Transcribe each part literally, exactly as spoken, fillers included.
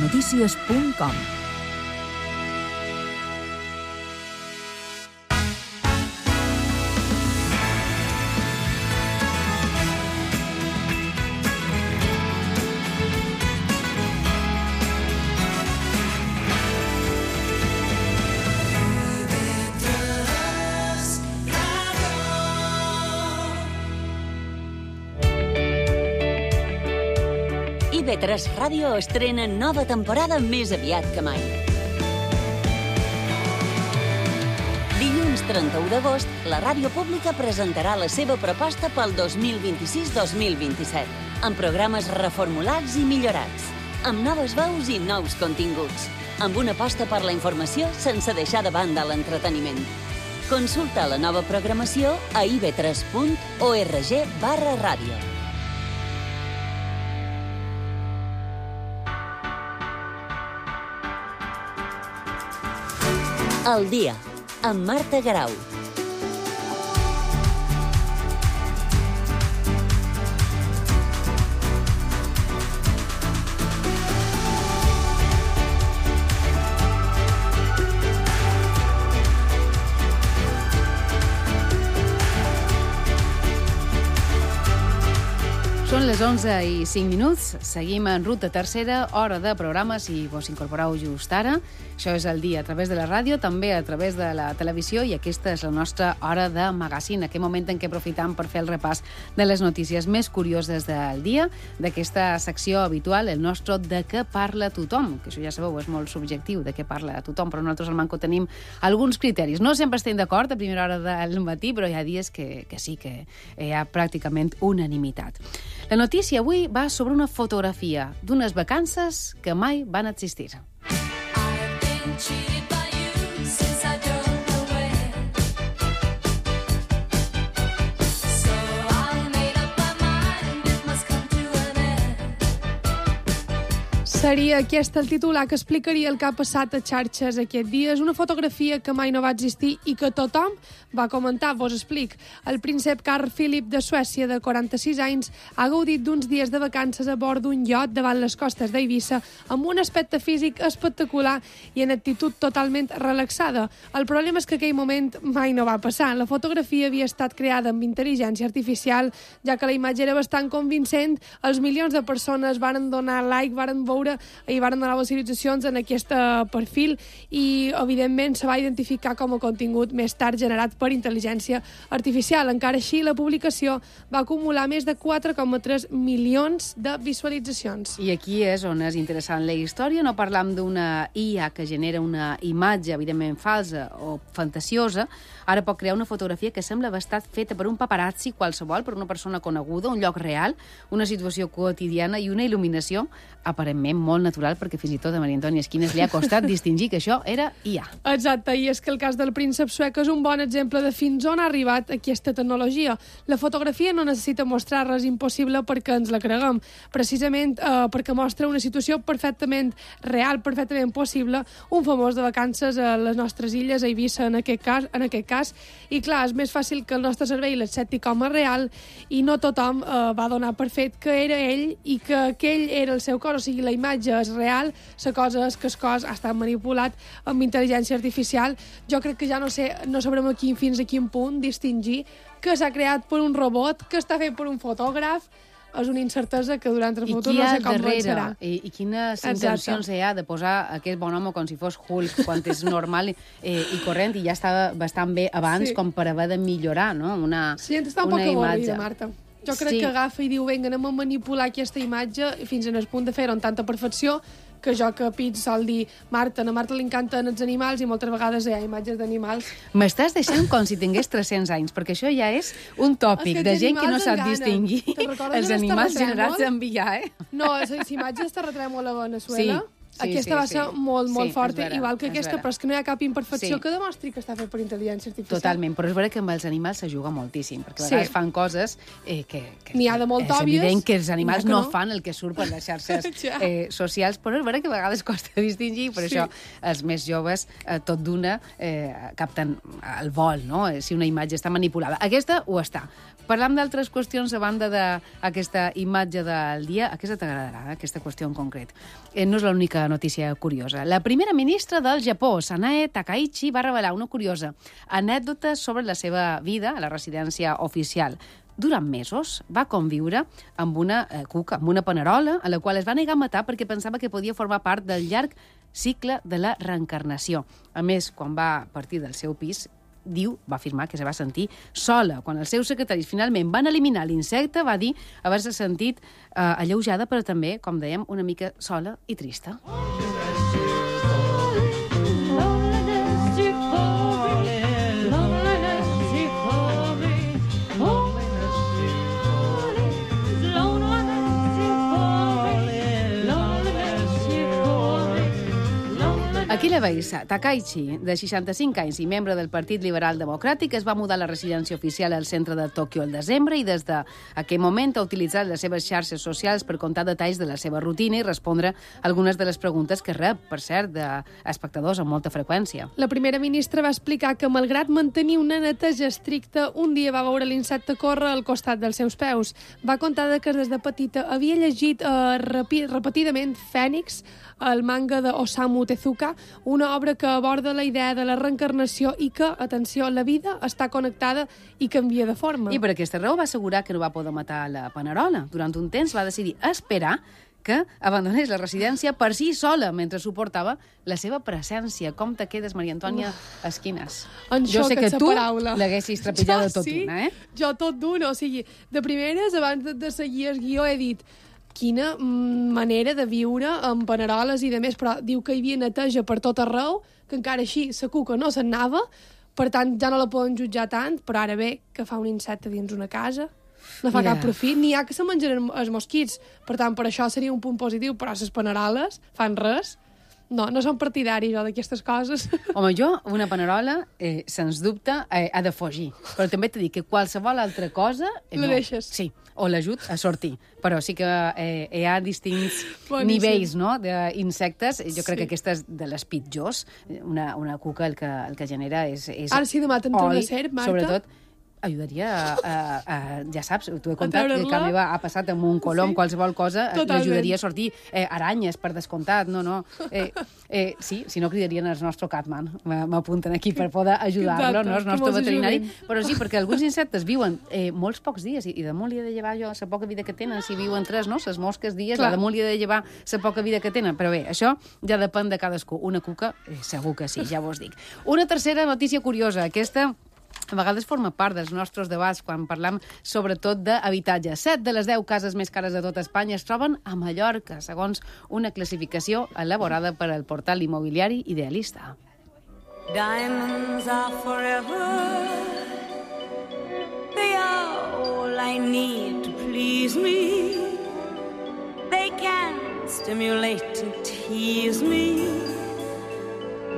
notícies punt com. I ve tres Ràdio estrena nova temporada més aviat que mai. Dilluns trenta-u d'agost, la ràdio pública presentarà la seva proposta pel dos mil vint-i-sis dos mil vint-i-set, amb programes reformulats i millorats, amb noves veus i nous continguts, amb una aposta per la informació sense deixar de banda l'entreteniment. Consulta la nova programació a i ve tres punt org barra ràdio. El dia, amb Marta Garau. Són les onze i cinc minuts, seguim en ruta tercera, hora de programa, si vos incorporeu just ara. Això és el dia a través de la ràdio, també a través de la televisió, i aquesta és la nostra hora de magazine, aquest moment en què aprofitam per fer el repàs de les notícies més curioses del dia, d'aquesta secció habitual, el nostre De què parla tothom, que això ja sabeu, és molt subjectiu, de què parla tothom, però nosaltres al Manco tenim alguns criteris. No sempre estem d'acord a primera hora del matí, però hi ha dies que, que sí, que hi ha pràcticament unanimitat. La notícia avui va sobre una fotografia d'unes vacances que mai van existir. Seria aquest el titular que explicaria el que ha passat a xarxes aquest dia. És una fotografia que mai no va existir i que tothom va comentar. Vos explic. El príncep Carl Philip de Suècia, de quaranta-sis anys, ha gaudit d'uns dies de vacances a bord d'un iot davant les costes d'Eivissa amb un aspecte físic espectacular i en actitud totalment relaxada. El problema és que aquell moment mai no va passar. La fotografia havia estat creada amb intel·ligència artificial, ja que la imatge era bastant convincent. Els milions de persones varen donar like, varen veure i varen donar visualitzacions en aquest perfil i, evidentment, se va identificar com a contingut més tard generat per intel·ligència artificial. Encara així, la publicació va acumular més de quatre coma tres milions de visualitzacions. I aquí és on és interessant la història. No parlam d'una I A que genera una imatge, evidentment, falsa o fantasiosa. Ara pot crear una fotografia que sembla haver estat feta per un paparazzi qualsevol, per una persona coneguda, un lloc real, una situació quotidiana i una il·luminació aparentment molt natural, perquè fins i tot a Maria Antònia Esquines li ha costat distingir que això era I A. Exacte, i és que el cas del príncep suec és un bon exemple de fins on ha arribat aquesta tecnologia. La fotografia no necessita mostrar res impossible perquè ens la creguem, precisament eh, perquè mostra una situació perfectament real, perfectament possible, un famós de vacances a les nostres illes, a Eivissa en aquest cas, en aquest cas. I clar, és més fàcil que el nostre cervell l'accepti com a real i no tothom eh, va donar per fet que era ell i que aquell era el seu cos, o sigui, la imatge és real, la cosa és que el cos ha estat manipulat amb intel·ligència artificial. Jo crec que ja no sé, no sabrem aquí fins a quin punt distingir que s'ha creat per un robot, que està fet per un fotògraf. És una incertesa que durant el futur no sé com serà. I, i quines intencions hi ha de posar aquest bon home com si fos Hulk, quan és normal eh, i corrent, i ja estava bastant bé abans, sí, com per haver de millorar, no? Una, sí, està un poc avorrida, Marta. Jo crec sí. que agafa i diu, vinga, anem a manipular aquesta imatge fins en el punt de fer-ho amb tanta perfecció que jo que pit sol dir, Marta, a Marta li encanten els animals i moltes vegades hi ha imatges d'animals. M'estàs deixant com si tingués tres-cents anys, perquè això ja és un tòpic de gent que no sap distingir els animals generats en V I A, eh? No, les imatges de terratrèmol a Veneçuela... Sí. Sí, aquesta sí, va ser sí. molt, molt sí, forta, vera, igual que aquesta, però és que no hi ha cap imperfecció sí. que demostri que està fet per intel·ligència artificial. Totalment, però és vera que amb els animals s'ajuga moltíssim, perquè a vegades sí. fan coses eh, que, que n'hi ha de molt és òbvies, evident que els animals que no. no fan el que surt per les xarxes eh, socials, però és vera que a vegades costa distingir, per sí. això els més joves, eh, tot d'una, eh, capten el vol, no? Si una imatge està manipulada. Aquesta ho està. parlam d'altres qüestions a banda d'aquesta imatge del dia. Aquesta t'agradarà, aquesta qüestió en concret. Eh, no és l'única notícia curiosa. La primera ministra del Japó, Sanae Takaichi, va revelar una curiosa anècdota sobre la seva vida a la residència oficial. Durant mesos va conviure amb una eh, cuca, amb una panerola, a la qual es va negar a matar perquè pensava que podia formar part del llarg cicle de la reencarnació. A més, quan va partir del seu pis, diu, va afirmar que se va sentir sola. Quan els seus secretaris finalment van eliminar l'insecte, va dir haver-se sentit eh, alleujada, però també, com dèiem, una mica sola i trista. Aquí la veus, Takaichi, de seixanta-cinc anys i membre del Partit Liberal Democràtic, es va mudar a la residència oficial al centre de Tòquio el desembre i des d'aquell moment ha utilitzat les seves xarxes socials per contar detalls de la seva rutina i respondre algunes de les preguntes que rep, per cert, d'espectadors amb molta freqüència. La primera ministra va explicar que, malgrat mantenir una neteja estricta, un dia va veure l'insecte córrer al costat dels seus peus. Va contar que des de petita havia llegit eh, repi repetidament Fènix, el manga de Osamu Tezuka, una obra que aborda la idea de la reencarnació i que, atenció, la vida està connectada i canvia de forma. I per aquesta raó va assegurar que no va poder matar la panerola. Durant un temps va decidir esperar que abandonés la residència per si sola mentre suportava la seva presència. Com te quedes, Maria Antònia Esquines? En jo sé que tu paraula. l'haguessis trepitjada tot sí, una, eh? Jo tot d'una. O sigui, de primeres, abans de, de seguir el guió, he dit quina manera de viure amb paneroles i de més, però diu que hi havia neteja per tot arreu, que encara així la cuca no se'n anava, per tant ja no la poden jutjar tant, però ara bé que fa un insecte dins una casa, no fa Mira. cap profit, n'hi ha que se menjaren els mosquits, per tant per això seria un punt positiu, però les paneroles fan res. No, no som partidaris, jo, d'aquestes coses. Home, jo, una panerola, eh, sens dubte, eh, ha de fugir. Però també t'he dit que qualsevol altra cosa... Eh, la no. deixes. Sí, o l'ajut a sortir. Però sí que eh, hi ha distints Boníssim. nivells, no?, d'insectes. Jo crec Sí. que aquesta és de les pitjors. Una, una cuca el que, el que genera és, és Ara, si demà te'n torna a ser, Marta... Sobretot, ajudaria a, a, a, ja saps, t'ho he contat, que treure-la. a meva ha passat amb un colom, Sí. qualsevol cosa, Totalment. l'ajudaria a sortir. Eh, aranyes, per descomptat, no, no. Eh, eh, sí, si no cridarien el nostre Catman, m'apunten aquí per poder ajudar-lo, no, el nostre veterinari. Però sí, perquè alguns insectes viuen eh, molts pocs dies i, i damunt li he de llevar jo la poca vida que tenen, si viuen tres, no? Les mosques dies, Clar. damunt li he de llevar la poca vida que tenen. Però bé, això ja depèn de cadascú. Una cuca, eh, segur que sí, ja vos dic. Una tercera notícia curiosa, aquesta... A vegades forma part dels nostres debats quan parlam sobretot d'habitatge. Set de les deu cases més cares de tot Espanya es troben a Mallorca, segons una classificació elaborada per al portal immobiliari Idealista. Diamonds are forever. They are all I need to please me. They can stimulate and tease me.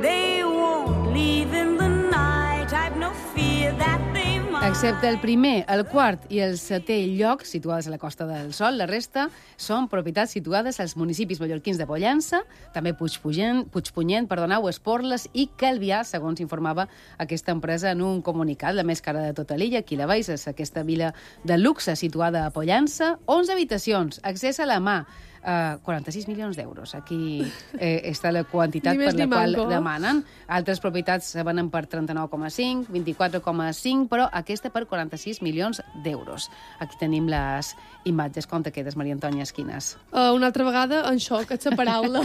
They won't leave in the night. I've no fear that they might. Excepte el primer, el quart i el setè lloc, situades a la Costa del Sol, la resta són propietats situades als municipis mallorquins de Pollença, també Puigpunyent, Puigpunyent perdoneu, Esporles i Calvià, segons informava aquesta empresa en un comunicat. La més cara de tota l'illa, aquí la veus, és aquesta vila de luxe situada a Pollença, onze habitacions, accés a la mà, Uh, quaranta-sis milions d'euros. Aquí eh, està la quantitat per la qual manco. demanen. Altres propietats se venen per trenta-nou coma cinc, vint-i-quatre coma cinc, però aquesta per quaranta-sis milions d'euros. Aquí tenim les imatges. Com te quedes, Maria Antònia Esquines? Uh, una altra vegada, en xoc, et la paraula.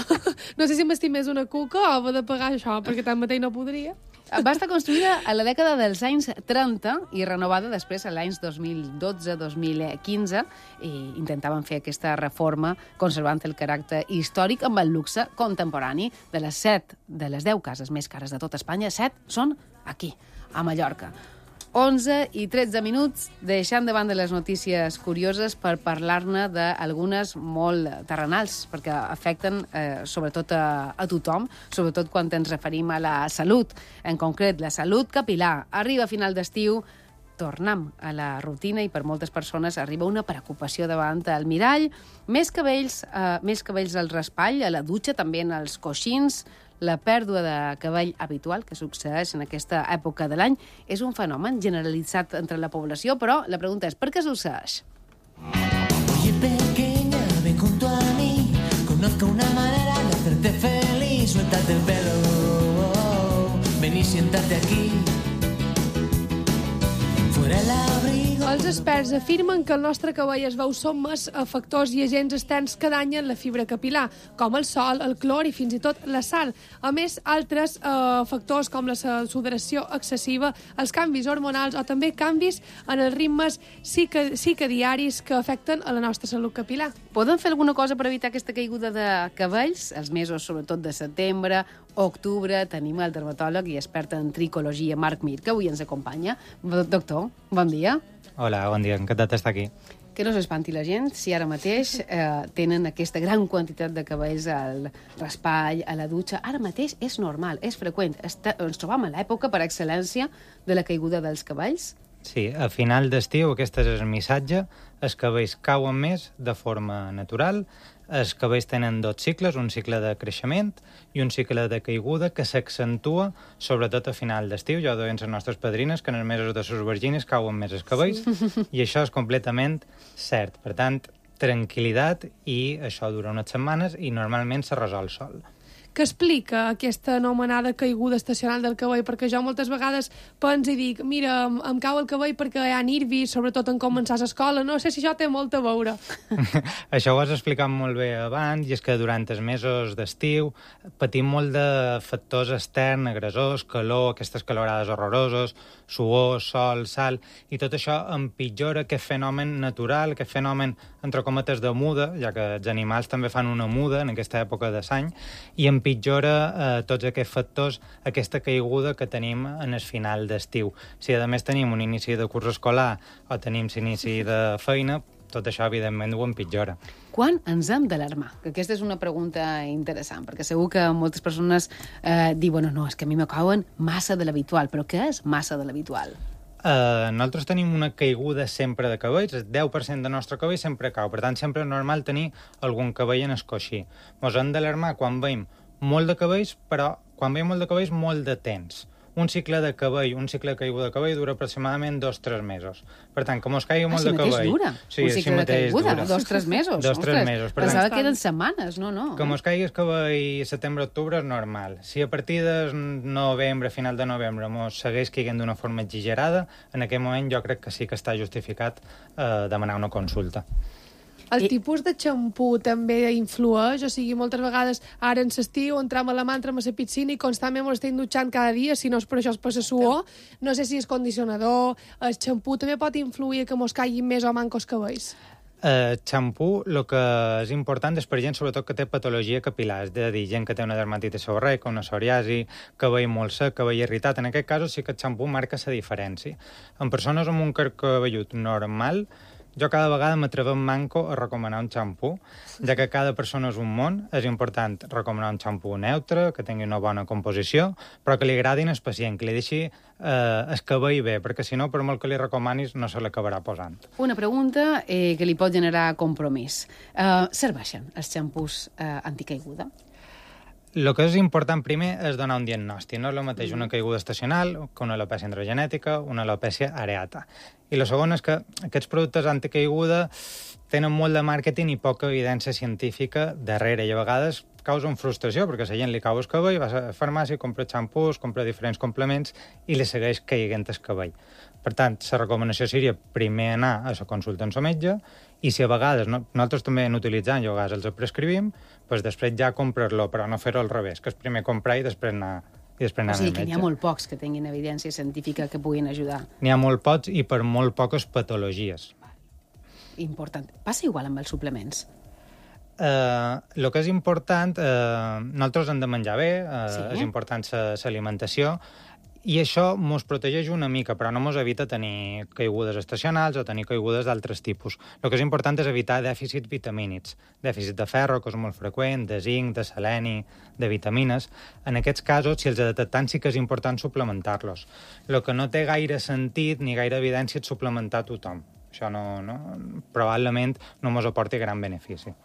No sé si m'estimés una cuca o haver de pagar això, perquè tanmateix no podria. Va estar construïda a la dècada dels anys trenta i renovada després a l'any dos mil dotze dos mil quinze i intentaven fer aquesta reforma conservant el caràcter històric amb el luxe contemporani. De les set de les deu cases més cares de tot Espanya, set són aquí, a Mallorca. onze i tretze minuts, deixant de banda les notícies curioses per parlar-ne d'algunes molt terrenals, perquè afecten eh, sobretot a, a tothom, sobretot quan ens referim a la salut. En concret, la salut capil·lar. Arriba a final d'estiu, tornem a la rutina i per moltes persones arriba una preocupació davant el mirall, més cabells, eh, més cabells al raspall, a la dutxa, també en els coixins. La pèrdua de cabell habitual que succeeix en aquesta època de l'any és un fenomen generalitzat entre la població, però la pregunta és per què succeeix? Oye, pequeña, ven junto a mí, conozco una manera de hacerte feliz, suéltate el pelo, oh, oh, ven y siéntate aquí, fuera el abrigo. Els experts afirmen que el nostre cabell es veu sotmès a factors i agents externs que danyen la fibra capilar, com el sol, el clor i fins i tot la sal. A més, altres eh, factors com la sudoració excessiva, els canvis hormonals o també canvis en els ritmes circadiaris que afecten a la nostra salut capilar. Podem fer alguna cosa per evitar aquesta caiguda de cabells? Els mesos, sobretot de setembre, octubre, tenim el dermatòleg i expert en tricologia, Marc Mir, que avui ens acompanya. Doctor, bon dia. Hola, bon dia, encantat d'estar aquí. Que no s'espanti la gent si ara mateix eh, tenen aquesta gran quantitat de cabells al raspall, a la dutxa. Ara mateix és normal, és freqüent. Està, ens trobam a l'època, per excel·lència, de la caiguda dels cabells. Sí, a final d'estiu, aquest és el missatge, els cabells cauen més de forma natural, els cabells tenen dos cicles, un cicle de creixement i un cicle de caiguda que s'accentua sobretot a final d'estiu. Ja ho deien les nostres padrines, que en els mesos de sus vergines cauen més els cabells, i això és completament cert. Per tant, tranquil·litat, i això dura unes setmanes i normalment se resol sol. Què explica aquesta anomenada caiguda estacional del cabell? Perquè jo moltes vegades penso i dic, mira, em, em cau el cabell perquè hi ha nervis, sobretot en començar l'escola. No sé si això té molt a veure. Això ho has explicat molt bé abans, i és que durant els mesos d'estiu patim molt de factors externs, agressors, calor, aquestes calorades horroroses, suor, sol, sal, i tot això empitjora aquest fenomen natural, aquest fenomen, entre cometes, de muda, ja que els animals també fan una muda en aquesta època de l'any, i empitjora eh, tots aquests factors, aquesta caiguda que tenim en el final d'estiu. Si a més tenim un inici de curs escolar o tenim l'inici de feina, tot això evidentment ho empitjora. Quan ens hem d'alarmar? Que aquesta és una pregunta interessant, perquè segur que moltes persones eh, diuen, no, és que a mi me cauen massa de l'habitual, però què és massa de l'habitual? Uh, nosaltres tenim una caiguda sempre de cabells, el deu per cent del nostre cabell sempre cau, per tant sempre és normal tenir algun cabell en el coixí. Ens hem d'alarmar quan veiem molt de cabells, però quan veiem molt de cabells, molt de temps. Un cicle de cabell, un cicle de caiguda de cabell dura aproximadament dos o tres mesos. Per tant, com us caigui molt ah, si de cabell... Ah, dura? Sí, un cicle de caiguda, dura. dos o tres mesos. Dos o tres mesos. Per Pensava tant, que eren setmanes, no, no. Com us caigui el cabell setembre-octubre és normal. Si a partir de novembre, final de novembre, mos segueix caiguent d'una forma exagerada, en aquell moment jo crec que sí que està justificat eh, demanar una consulta. El I... tipus de xampú també influeix, o sigui, moltes vegades ara en l'estiu entrem a la mà, entrem a la piscina i constantment ens estem dutxant cada dia, si no és per això és per la suor. No sé si és condicionador, el xampú també pot influir que mos caiguin més o mancos cabells. El xampú, el que és important és per gent sobretot que té patologia capilar, és a dir, gent que té una dermatitis seborreica, una psoriasi, cabell molt sec, cabell irritat. En aquest cas sí que el xampú marca la diferència. En persones amb un carn cabellut normal, jo cada vegada m'atrevem manco a recomanar un xampú, ja que cada persona és un món. És important recomanar un xampú neutre, que tingui una bona composició, però que li agradin al pacient, que li deixi eh, el cabell bé, perquè si no, per molt que li recomanis, no se l'acabarà posant. Una pregunta eh, que li pot generar compromís. Uh, serveixen els xampús uh, anticaiguda? El que és important primer és donar un diagnòstic. No és el mateix una caiguda estacional que una alopècia androgenètica, una alopècia areata. I el segon és que aquests productes anticaiguda tenen molt de màrqueting i poca evidència científica darrere, i a vegades causen frustració, perquè a la gent li cau el cabell, va a la farmàcia, compra xampús, compra diferents complements i li segueix caiguent el cabell. Per tant, la recomanació seria primer anar a la consulta amb el metge, i si a vegades, no, nosaltres també en utilitzant, i a vegades els prescrivim, doncs després ja comprar-lo, però no fer-ho al revés, que és primer comprar i després anar, i després anar o sigui, al metge. que n'hi ha molt pocs que tinguin evidència científica que puguin ajudar. N'hi ha molt pocs i per molt poques patologies. Important. Passa igual amb els suplements. Uh, el que és important, uh, nosaltres hem de menjar bé, uh, Sí. és important l'alimentació, I això mos protegeix una mica, però no mos evita tenir caigudes estacionals o tenir caigudes d'altres tipus. El que és important és evitar dèficits vitamínics. Dèficit de ferro, que és molt freqüent, de zinc, de seleni, de vitamines. En aquests casos, si els detectem, sí que és important suplementar-los. El que no té gaire sentit ni gaire evidència és suplementar tothom. Això no, no, probablement no mos aporti gran benefici.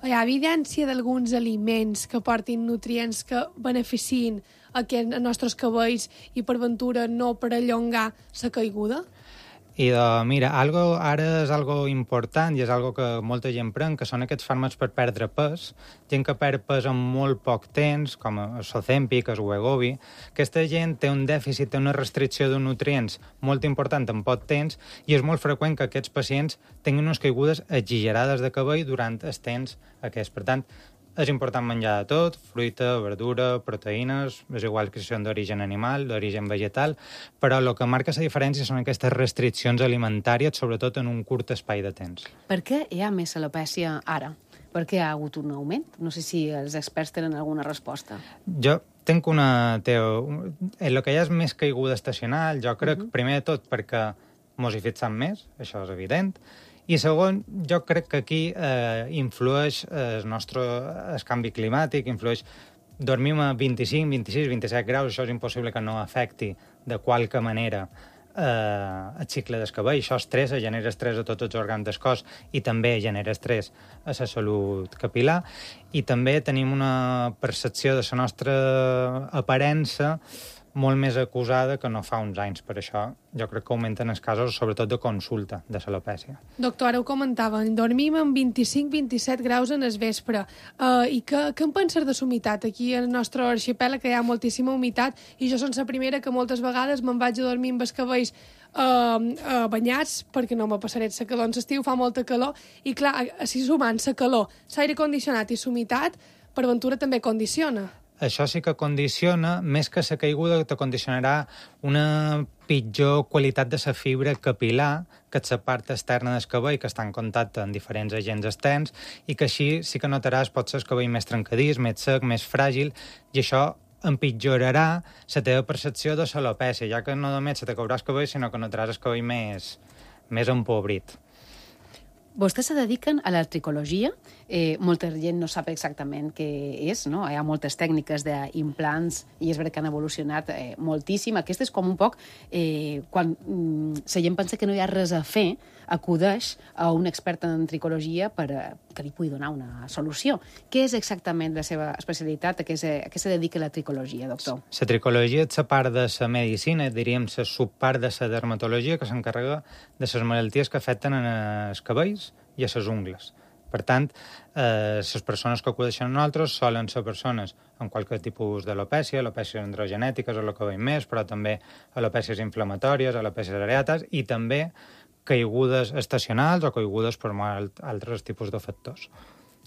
Hi ha evidència d'alguns aliments que portin nutrients que beneficien aquests nostres cabells i per ventura no perllongar la caiguda? I de, mira, algo, ara és algo important i és algo que molta gent pren, que són aquests fàrmacs per perdre pes. Gent que perd pes en molt poc temps, com el Ozempic, el Wegovy. Aquesta gent té un dèficit, té una restricció de nutrients molt important en poc temps i és molt freqüent que aquests pacients tinguin unes caigudes exagerades de cabell durant el temps aquest. Per tant, és important menjar de tot, fruita, verdura, proteïnes, és igual que si són d'origen animal, d'origen vegetal, però el que marca la diferència són aquestes restriccions alimentàries, sobretot en un curt espai de temps. Per què hi ha més alopècia ara? Per què hi ha hagut un augment? No sé si els experts tenen alguna resposta. Jo tinc una teo... En el que hi ha és més caiguda estacional, jo crec, uh -huh. primer de tot, perquè mos hi fixem més, això és evident, i segon, jo crec que aquí eh, influeix el nostre el canvi climàtic, influeix... Dormim a vint-i-cinc, vint-i-sis, vint-i-set graus, això és impossible que no afecti de qualque manera eh, el cicle del cabell. Això estressa, genera estrès a tots els òrgans del cos i també genera estrès a la salut capilar. I també tenim una percepció de la nostra aparença molt més acusada que no fa uns anys. Per això jo crec que augmenten els casos, sobretot de consulta de l'alopècia. Doctor, ara ho comentàvem, dormim amb vint-i-cinc vint-i-set graus en el vespre. Uh, I què, què en penses de la humitat? Aquí al nostre arxipèlag que hi ha moltíssima humitat i jo soc la primera que moltes vegades me'n vaig a dormir amb els cabells uh, uh, banyats perquè no me passaré la calor. En l'estiu fa molta calor i clar, si sumant la calor, l'aire condicionat i la humitat, per ventura també condiciona. Això sí que condiciona, més que la caiguda, te condicionarà una pitjor qualitat de la fibra capilar, que és la part externa del cabell, que està en contacte amb diferents agents externs, i que així sí que notaràs pot ser el cabell més trencadís, més sec, més fràgil, i això empitjorarà la teva percepció de l'alopècia, ja que no només se te caurà el cabell, sinó que notaràs el cabell més, més empobrit. Vostès se dediquen a la tricologia. Eh, molta gent no sap exactament què és, no? Hi ha moltes tècniques d'implants i és veritat que han evolucionat eh, moltíssim. Aquesta és com un poc... Eh, quan mm, la gent pensa que no hi ha res a fer, acudeix a un expert en tricologia per a, que li pugui donar una solució. Què és exactament la seva especialitat? A què se, a què se dedica la tricologia, doctor? La tricologia és la part de la medicina, diríem la subpart de la dermatologia, que s'encarrega de les malalties que afecten els cabells i a les ungles. Per tant, eh, les persones que acudeixen a nosaltres solen ser persones amb qualsevol tipus d'alopècia, alopècies androgenètiques o el que veiem més, però també alopècies inflamatòries, alopècies areates i també caigudes estacionals o caigudes per altres tipus de factors.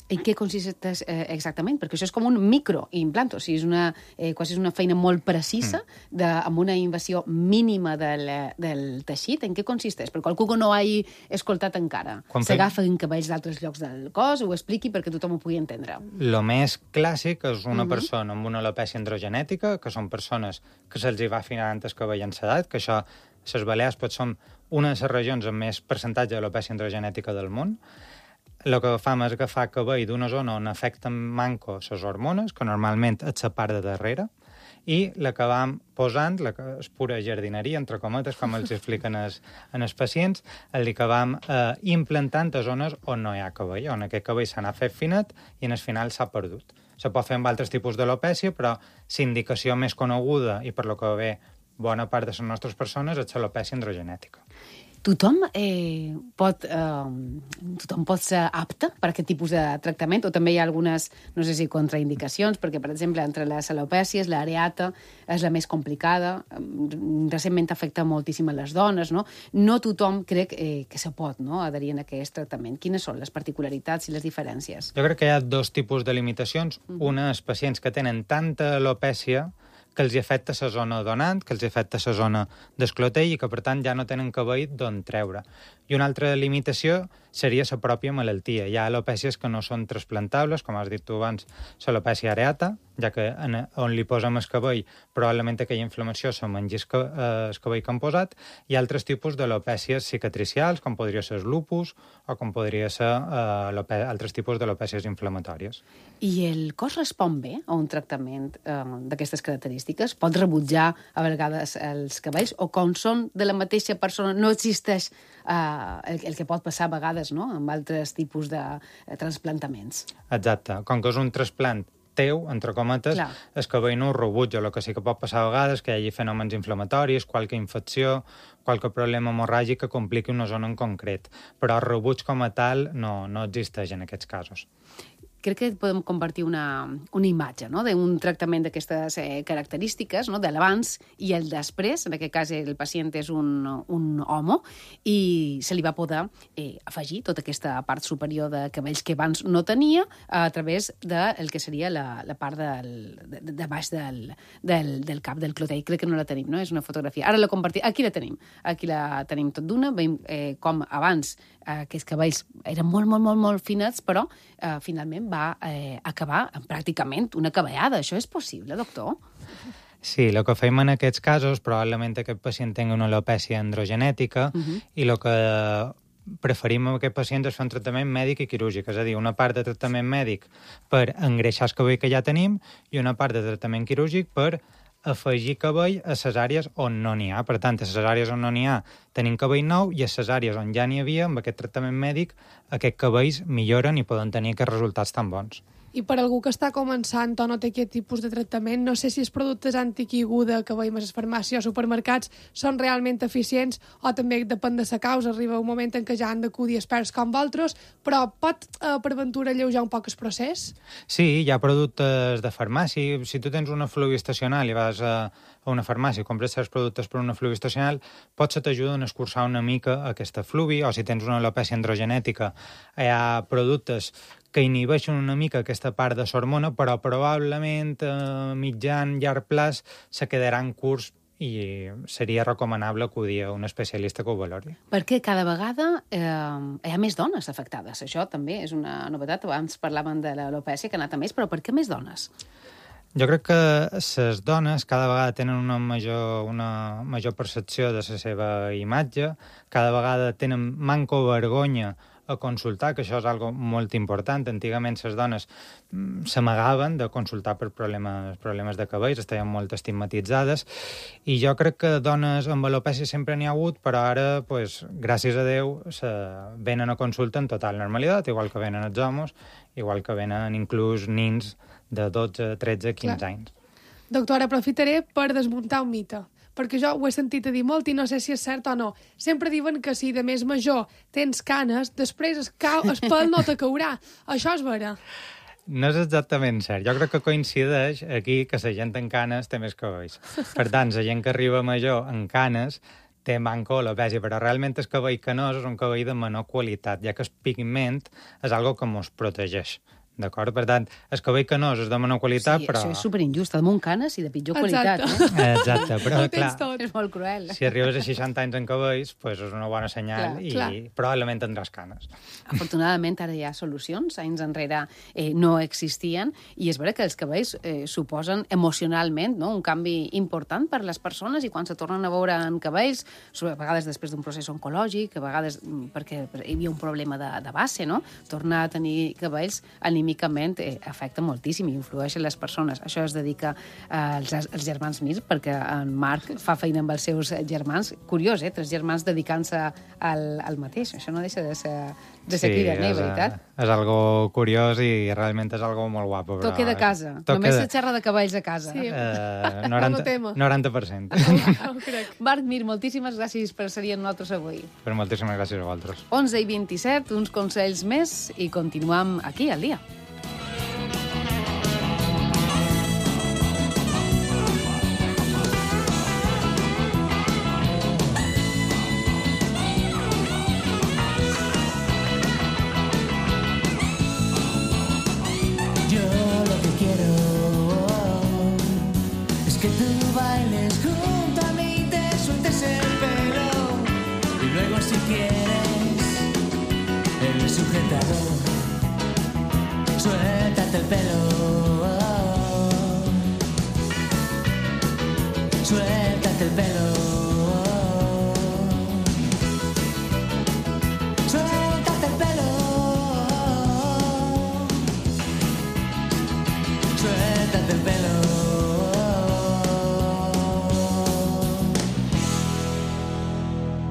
En què consisteix eh, exactament? Perquè això és com un microimplant, o sigui, és una, eh, quasi és una feina molt precisa, mm. de, amb una invasió mínima del, del teixit. En què consisteix? Per qualcú que no hagi escoltat encara. S'agafen cabells d'altres llocs del cos, ho expliqui perquè tothom ho pugui entendre. El més clàssic és una Mm-hmm. persona amb una alopècia androgenètica, que són persones que se'ls hi va afinant el cabell en l'edat, que això, les Balears pot són una de les regions amb més percentatge d'alopècia androgenètica del món. El que fam és agafar cabell d'una zona on afecten manco les hormones, que normalment és la part de darrere, i l'acabam posant, la que és pura jardineria, entre cometes, com els expliquen els, en els pacients, l'acabam eh, implantant a zones on no hi ha cabell, on aquest cabell s'ha anat fet finet i en el final s'ha perdut. Se pot fer amb altres tipus d'alopècia, però l'indicació més coneguda i per lo que ve bona part de les nostres persones és l'alopècia androgenètica. Tothom, eh, pot, eh, tothom pot ser apte per a aquest tipus de tractament o també hi ha algunes, no sé si contraindicacions, perquè, per exemple, entre les alopècies, l'areata és la més complicada, recentment afecta moltíssim a les dones, no? No tothom crec eh, que se pot, no?, adherir a aquest tractament. Quines són les particularitats i les diferències? Jo crec que hi ha dos tipus de limitacions. Mm. Una és pacients que tenen tanta alopècia que els afecta la zona donant, que els afecta la zona d'esclotell i que, per tant, ja no tenen cabell d'on treure. I una altra limitació seria la pròpia malaltia. Hi ha alopècies que no són trasplantables, com has dit tu abans, l'alopècia areata, ja que en, on li posem el cabell probablement aquella inflamació se mengi el, eh, el cabell que han posat, i altres tipus d'alopècies cicatricials, com podria ser el lupus o com podria ser eh, altres tipus d'alopècies inflamatòries. I el cos respon bé a un tractament eh, d'aquestes característiques? Pot rebutjar a vegades els cabells, o com són de la mateixa persona no existeix eh, el, el que pot passar a vegades, no?, amb altres tipus de eh, transplantaments? Exacte. Com que és un trasplant teu, entre cometes, Clar. el cabell no ho rebutja. El que sí que pot passar a vegades que hi hagi fenòmens inflamatoris, qualque infecció, qualque problema hemorràgic que compliqui una zona en concret. Però el rebuig com a tal no, no existeix en aquests casos. Crec que podem compartir una, una imatge, no?, d'un tractament d'aquestes eh, característiques, no?, de l'abans i el després. En aquest cas el pacient és un, un home i se li va poder eh, afegir tota aquesta part superior de cabells que abans no tenia a través del que seria la, la part del, de, de baix del, del, del cap, del clotell. Crec que no la tenim, no? És una fotografia. Ara la compartim. Aquí la tenim. Aquí la tenim tot d'una. Veiem eh, com abans eh, aquests cabells eren molt, molt, molt, molt finets, però eh, finalment va eh, acabar pràcticament una cabellada. Això és possible, doctor? Sí, el que fem en aquests casos, probablement aquest pacient tingui una alopècia androgenètica, uh-huh. i el que preferim amb aquest pacient és fer un tractament mèdic i quirúrgic, és a dir, una part de tractament mèdic per engreixar el cabell que ja tenim i una part de tractament quirúrgic per afegir cabell a les àrees on no n'hi ha. Per tant, a les àrees on no n'hi ha tenim cabell nou, i a les àrees on ja n'hi havia, amb aquest tractament mèdic, aquests cabells milloren i poden tenir aquests resultats tan bons. I per algú que està començant o no té aquest tipus de tractament, no sé si els productes antiquiguda que veiem a les farmàcies o supermercats són realment eficients, o també depèn de la causa. Arriba un moment en què ja han d'acudir experts com vosaltres, però pot, eh, per ventura, alleujar un poc el procés? Sí, hi ha productes de farmàcia. Si tu tens una fluvi estacional i vas a, a una farmàcia i compres certs productes per una fluvi estacional, potser t'ajuden a escurçar una mica aquesta fluvi, o si tens una alopècia androgenètica, hi ha productes que inhibeixen una mica aquesta part de l'hormona, però probablement a mitjan, llarg plaç se quedaran curts i seria recomanable acudir a un especialista que ho valori. Perquè cada vegada eh, hi ha més dones afectades. Això també és una novetat. Abans parlaven de l'alopècia, que ha anat a més, però per què més dones? Jo crec que les dones cada vegada tenen una major, una major percepció de la seva imatge, cada vegada tenen manco vergonya a consultar, que això és algo molt important. Antigament les dones s'amagaven de consultar per problemes, problemes de cabells, estaven molt estigmatitzades, i jo crec que dones amb alopècia sempre n'hi ha hagut, però ara, pues, gràcies a Déu, se venen a consulta en total normalitat, igual que venen els homes, igual que venen inclús nins de dotze, tretze, quinze Clar. anys. Doctora, aprofitaré per desmuntar un mite, perquè jo ho he sentit a dir molt i no sé si és cert o no. Sempre diuen que si de més major tens canes, després es, cau, es pèl no te caurà. Això és vera? No és exactament cert. Jo crec que coincideix aquí que la gent en canes té més cabells. Per tant, la gent que arriba major en canes té manco alopècia, però realment el cabell canós és un cabell de menor qualitat, ja que el pigment és algo que ens protegeix. D'acord? Per tant, el cabell canós és de menor qualitat, sí, però... això és superinjust, de canes i de pitjor Exacte. qualitat. Eh? Exacte, però clar, És molt cruel. si arribes a seixanta anys en cabells, pues és una bona senyal, Clar, i clar. probablement tindràs canes. Afortunadament ara hi ha solucions, anys enrere eh, no existien, i és vera que els cabells eh, suposen emocionalment, no?, un canvi important per les persones, i quan se tornen a veure en cabells, a vegades després d'un procés oncològic, a vegades perquè hi havia un problema de, de base, no?, tornar a tenir cabells anímicament eh, afecta moltíssim i influeix en les persones. Això es dedica eh, als, als germans Mir, perquè en Marc fa feina amb els seus germans. Curiós, eh? Tres germans dedicant-se al, al mateix. Això no deixa de ser, de ser Sí, cridaner, és, veritat? és algo curiós i realment és algo molt guapo. Però... Toque de casa. Toque Només de- se xerra de cavalls a casa. Sí. Eh, Monotema. noranta, noranta per cent. No ho crec. Marc Mir, moltíssimes gràcies per ser amb nosaltres avui. Però moltíssimes gràcies a vosaltres. onze i vint-i-set, uns consells més i continuem aquí al dia. Yo lo que quiero es que tú bailes junto a mí, te sueltes el pelo y luego si quieres el sujetador, suéltate el pelo.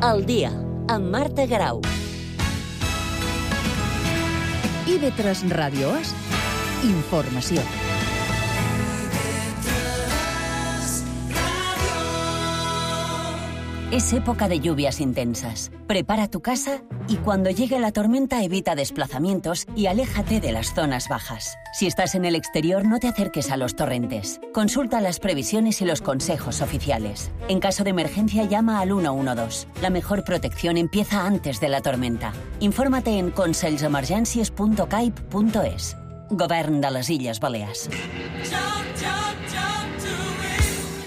El dia, amb Marta Garau. I ve tres Ràdio és informació. Es época de lluvias intensas. Prepara tu casa y cuando llegue la tormenta evita desplazamientos y aléjate de las zonas bajas. Si estás en el exterior, no te acerques a los torrentes. Consulta las previsiones y los consejos oficiales. En caso de emergencia, llama al uno uno dos. La mejor protección empieza antes de la tormenta. Infórmate en consells-emergències punt caip punt es. Govern de les Illes Balears.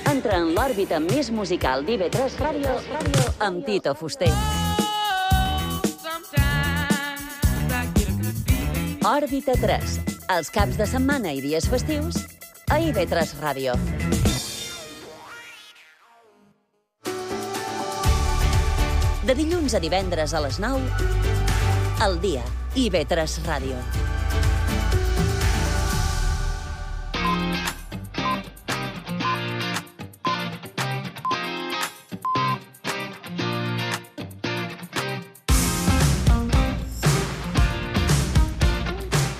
Entra en l'òrbita més musical d'I V tres Ràdio amb Tito Fuster. Òrbita tres. Els caps de setmana i dies festius a I V tres Ràdio. De dilluns a divendres a les nou, El dia, I V tres Ràdio.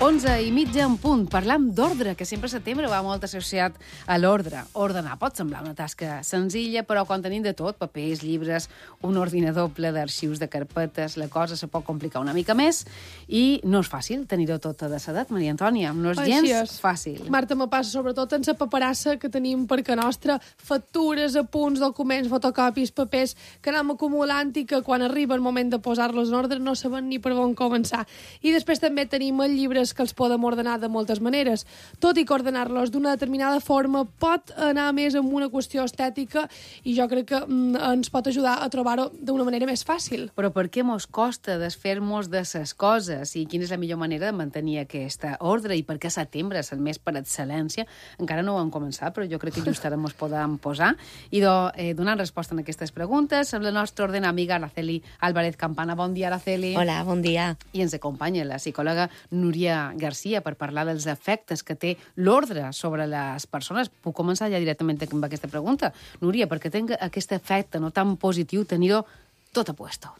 onze i mitja en punt. Parlam d'ordre, que sempre a setembre va molt associat a l'ordre. Ordenar pot semblar una tasca senzilla, però quan tenim de tot, papers, llibres, un ordinador ple d'arxius de carpetes, la cosa se pot complicar una mica més i no és fàcil tenir-ho tot a desedat, Maria Antònia. No és gens és. fàcil. Marta, me passa sobretot en la paperassa que tenim per que nostra, factures, apunts, documents, fotocopis, papers, que anem acumulant i que quan arriba el moment de posar-los en ordre no saben ni per on començar. I després també tenim els llibres que els podem ordenar de moltes maneres. Tot i que ordenar-los d'una determinada forma pot anar més amb una qüestió estètica i jo crec que mm, ens pot ajudar a trobar-ho d'una manera més fàcil. Però per què mos costa desfer-nos de ses coses? I quina és la millor manera de mantenir aquesta ordre? I per què setembre és el mes per excel·lència? Encara no ho hem començat, però jo crec que just ara mos podem posar. I do, eh, donant resposta a aquestes preguntes amb la nostra ordena amiga Araceli Álvarez Campana. Bon dia, Araceli. Hola, bon dia. I ens acompanya la psicòloga Núria Garcia per parlar dels efectes que té l'ordre sobre les persones. Puc començar ja directament amb aquesta pregunta. Núria, per què té aquest efecte no tan positiu tenir-ho tot a puesto?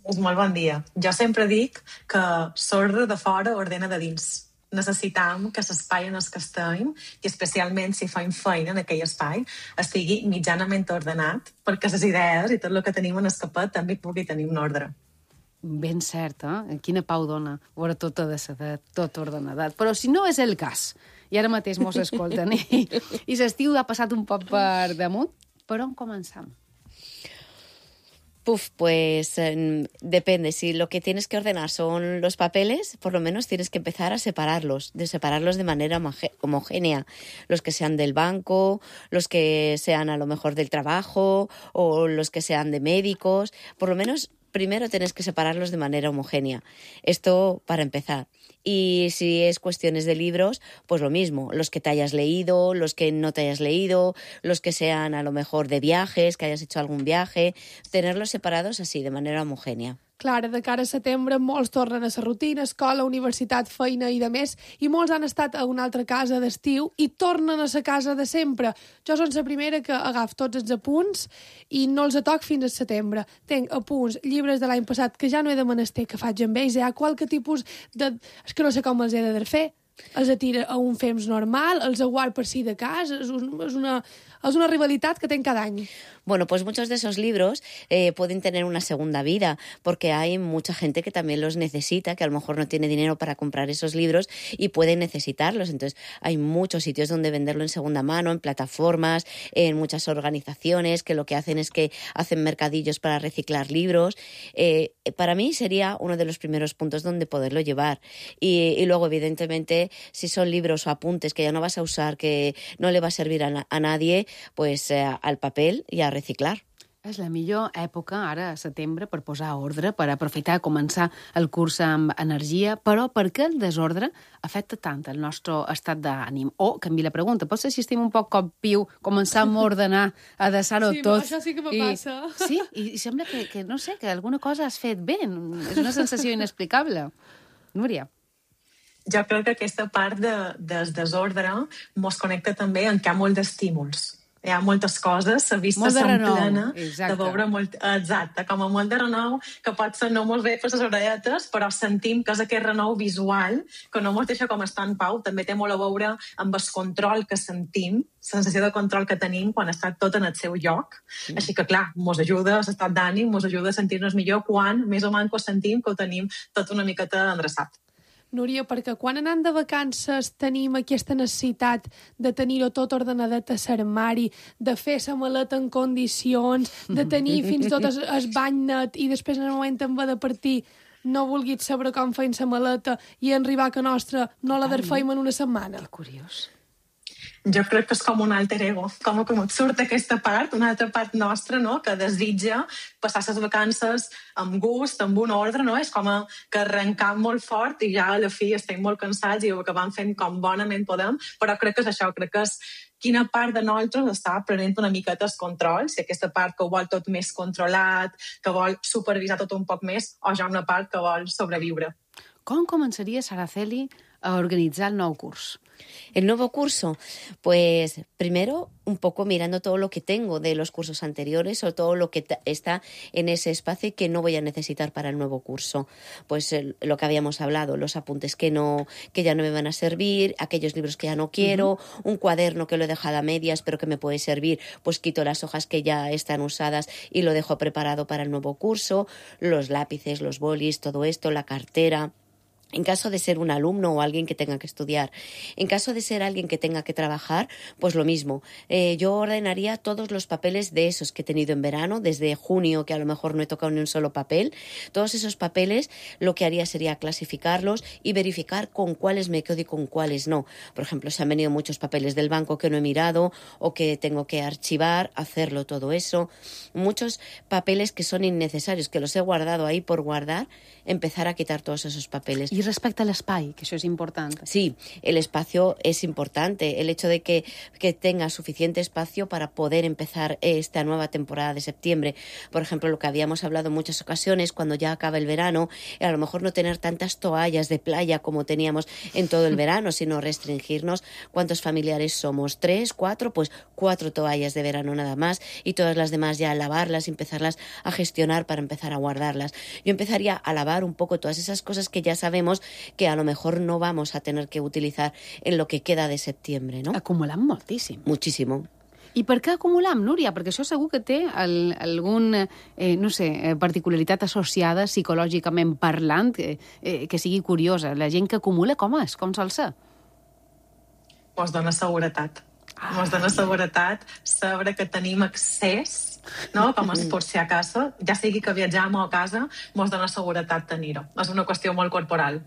És molt bon dia. Jo sempre dic que l'ordre de fora ordena de dins. Necessitam que l'espai en el que estem, i especialment si fem feina en aquell espai, estigui mitjanament ordenat, perquè les idees i tot el que tenim en el capet també pugui tenir un ordre. Ben cert, eh? Quina pau dona veure tot desedat, tot ordenadat. Però si no és el cas, i ara mateix mos escolten, i, i l'estiu ha passat un poc per damunt, per on començam? Puf, pues eh, depende. Si lo que tienes que ordenar son los papeles, por lo menos tienes que empezar a separarlos, de separarlos de manera homogénea. Los que sean del banco, los que sean a lo mejor del trabajo, o los que sean de médicos. Por lo menos primero tienes que separarlos de manera homogénea. Esto para empezar. Y si es cuestiones de libros, pues lo mismo. Los que te hayas leído, los que no te hayas leído, los que sean a lo mejor de viajes, que hayas hecho algún viaje, tenerlos separados así, de manera homogénea. Clar, de cara a setembre molts tornen a la rutina, escola, universitat, feina i de més, i molts han estat a una altra casa d'estiu i tornen a la casa de sempre. Jo soc la primera que agaf tots els apunts i no els atoc fins al setembre. Tenc apunts, llibres de l'any passat que ja no he de menester que faig amb ells, hi ha qualque tipus de... És que no sé com els he de fer. Els atira a un fems normal, els aguard per si de cas, és, un, és, una, és una rivalitat que tenc cada any. Bueno, pues muchos de esos libros eh, pueden tener una segunda vida, porque hay mucha gente que también los necesita, que a lo mejor no tiene dinero para comprar esos libros y puede necesitarlos. Entonces, hay muchos sitios donde venderlo en segunda mano, en plataformas, en muchas organizaciones que lo que hacen es que hacen mercadillos para reciclar libros. Eh, para mí sería uno de los primeros puntos donde poderlo llevar. Y, y luego, evidentemente, si son libros o apuntes que ya no vas a usar, que no le va a servir a, a nadie, pues eh, al papel y a reciclar. És la millor època, ara, a setembre, per posar ordre, per aprofitar a començar el curs amb energia, però per què el desordre afecta tant el nostre estat d'ànim? O, canvi la pregunta, pot ser si estem un poc com piu, començam a ordenar, a deixar-ho sí, tot... Sí, això sí que me i, passa. Sí, i, i sembla que, que, no sé, que alguna cosa has fet bé. És una sensació inexplicable. Núria. Jo crec que aquesta part de, del desordre mos connecta també en que hi ha molt d'estímuls. Hi ha moltes coses, la vista Molt de se'm renou, plena exacte. de veure molt... Exacte, com a molt de renou, que pot ser no molt bé per les orelletes, però sentim que és aquest renou visual, que no ens deixa com estar en pau, també té molt a veure amb el control que sentim, sensació de control que tenim quan està tot en el seu lloc. Mm. Així que, clar, mos ajuda a l'estat d'ànim, mos ajuda a sentir-nos millor quan més o menys sentim que ho tenim tot una miqueta endreçat. Núria, perquè quan anant de vacances tenim aquesta necessitat de tenir-ho tot ordenadet a l'armari, de fer la maleta en condicions, de tenir fins i tot el, el bany net i després en el moment en va de partir no vulguis saber com feim la maleta i arribar a que nostra no la desfeim en una setmana. Que curiós. Jo crec que és com un alter ego, com que et surt aquesta part, una altra part nostra, no?, que desitja passar les vacances amb gust, amb un ordre, no? És com a que arrencam molt fort i ja a la fi estem molt cansats i ho acabam fent com bonament podem, però crec que és això, crec que és quina part de nosaltres està prenent una miqueta el control, si aquesta part que ho vol tot més controlat, que vol supervisar tot un poc més, o ja una part que vol sobreviure. Com començaria Saraceli a organitzar el nou curs? El nuevo curso, pues primero un poco mirando todo lo que tengo de los cursos anteriores o todo lo que está en ese espacio y que no voy a necesitar para el nuevo curso. Pues el, lo que habíamos hablado, los apuntes que no que ya no me van a servir, aquellos libros que ya no quiero, uh-huh. un cuaderno que lo he dejado a medias pero que me puede servir, pues quito las hojas que ya están usadas y lo dejo preparado para el nuevo curso, los lápices, los bolis, todo esto, la cartera. En caso de ser un alumno o alguien que tenga que estudiar. En caso de ser alguien que tenga que trabajar, pues lo mismo. Eh, yo ordenaría todos los papeles de esos que he tenido en verano, desde junio, que a lo mejor no he tocado ni un solo papel. Todos esos papeles lo que haría sería clasificarlos y verificar con cuáles me quedo y con cuáles no. Por ejemplo, si han venido muchos papeles del banco que no he mirado o que tengo que archivar, hacerlo todo eso. Muchos papeles que son innecesarios, que los he guardado ahí por guardar, empezar a quitar todos esos papeles. I respecte a l'espai, que això és important. Sí, el espacio es importante. El hecho de que, que tenga suficiente espacio para poder empezar esta nueva temporada de septiembre. Por ejemplo, lo que habíamos hablado en muchas ocasiones, cuando ya acaba el verano, a lo mejor no tener tantas toallas de playa como teníamos en todo el verano, sino restringirnos cuántos familiares somos. Tres, cuatro, pues cuatro toallas de verano nada más y todas las demás ya lavarlas y empezarlas a gestionar para empezar a guardarlas. Yo empezaría a lavar un poco todas esas cosas que ya sabemos que a lo mejor no vamos a tener que utilizar en lo que queda de septiembre, ¿no? Acumulam moltíssim. Muchísimo. I per què acumulam, Núria? Perquè això segur que té el, algun, eh, no sé, particularitat associada psicològicament parlant, eh, eh, que sigui curiosa. La gent que acumula, com és? Com sol ser? Mos dona seguretat. Ah. Mos dona seguretat saber que tenim accés, no? Com es por si acaso, ja sigui que viatjam o a casa, mos dona seguretat tenir-ho. És una qüestió molt corporal.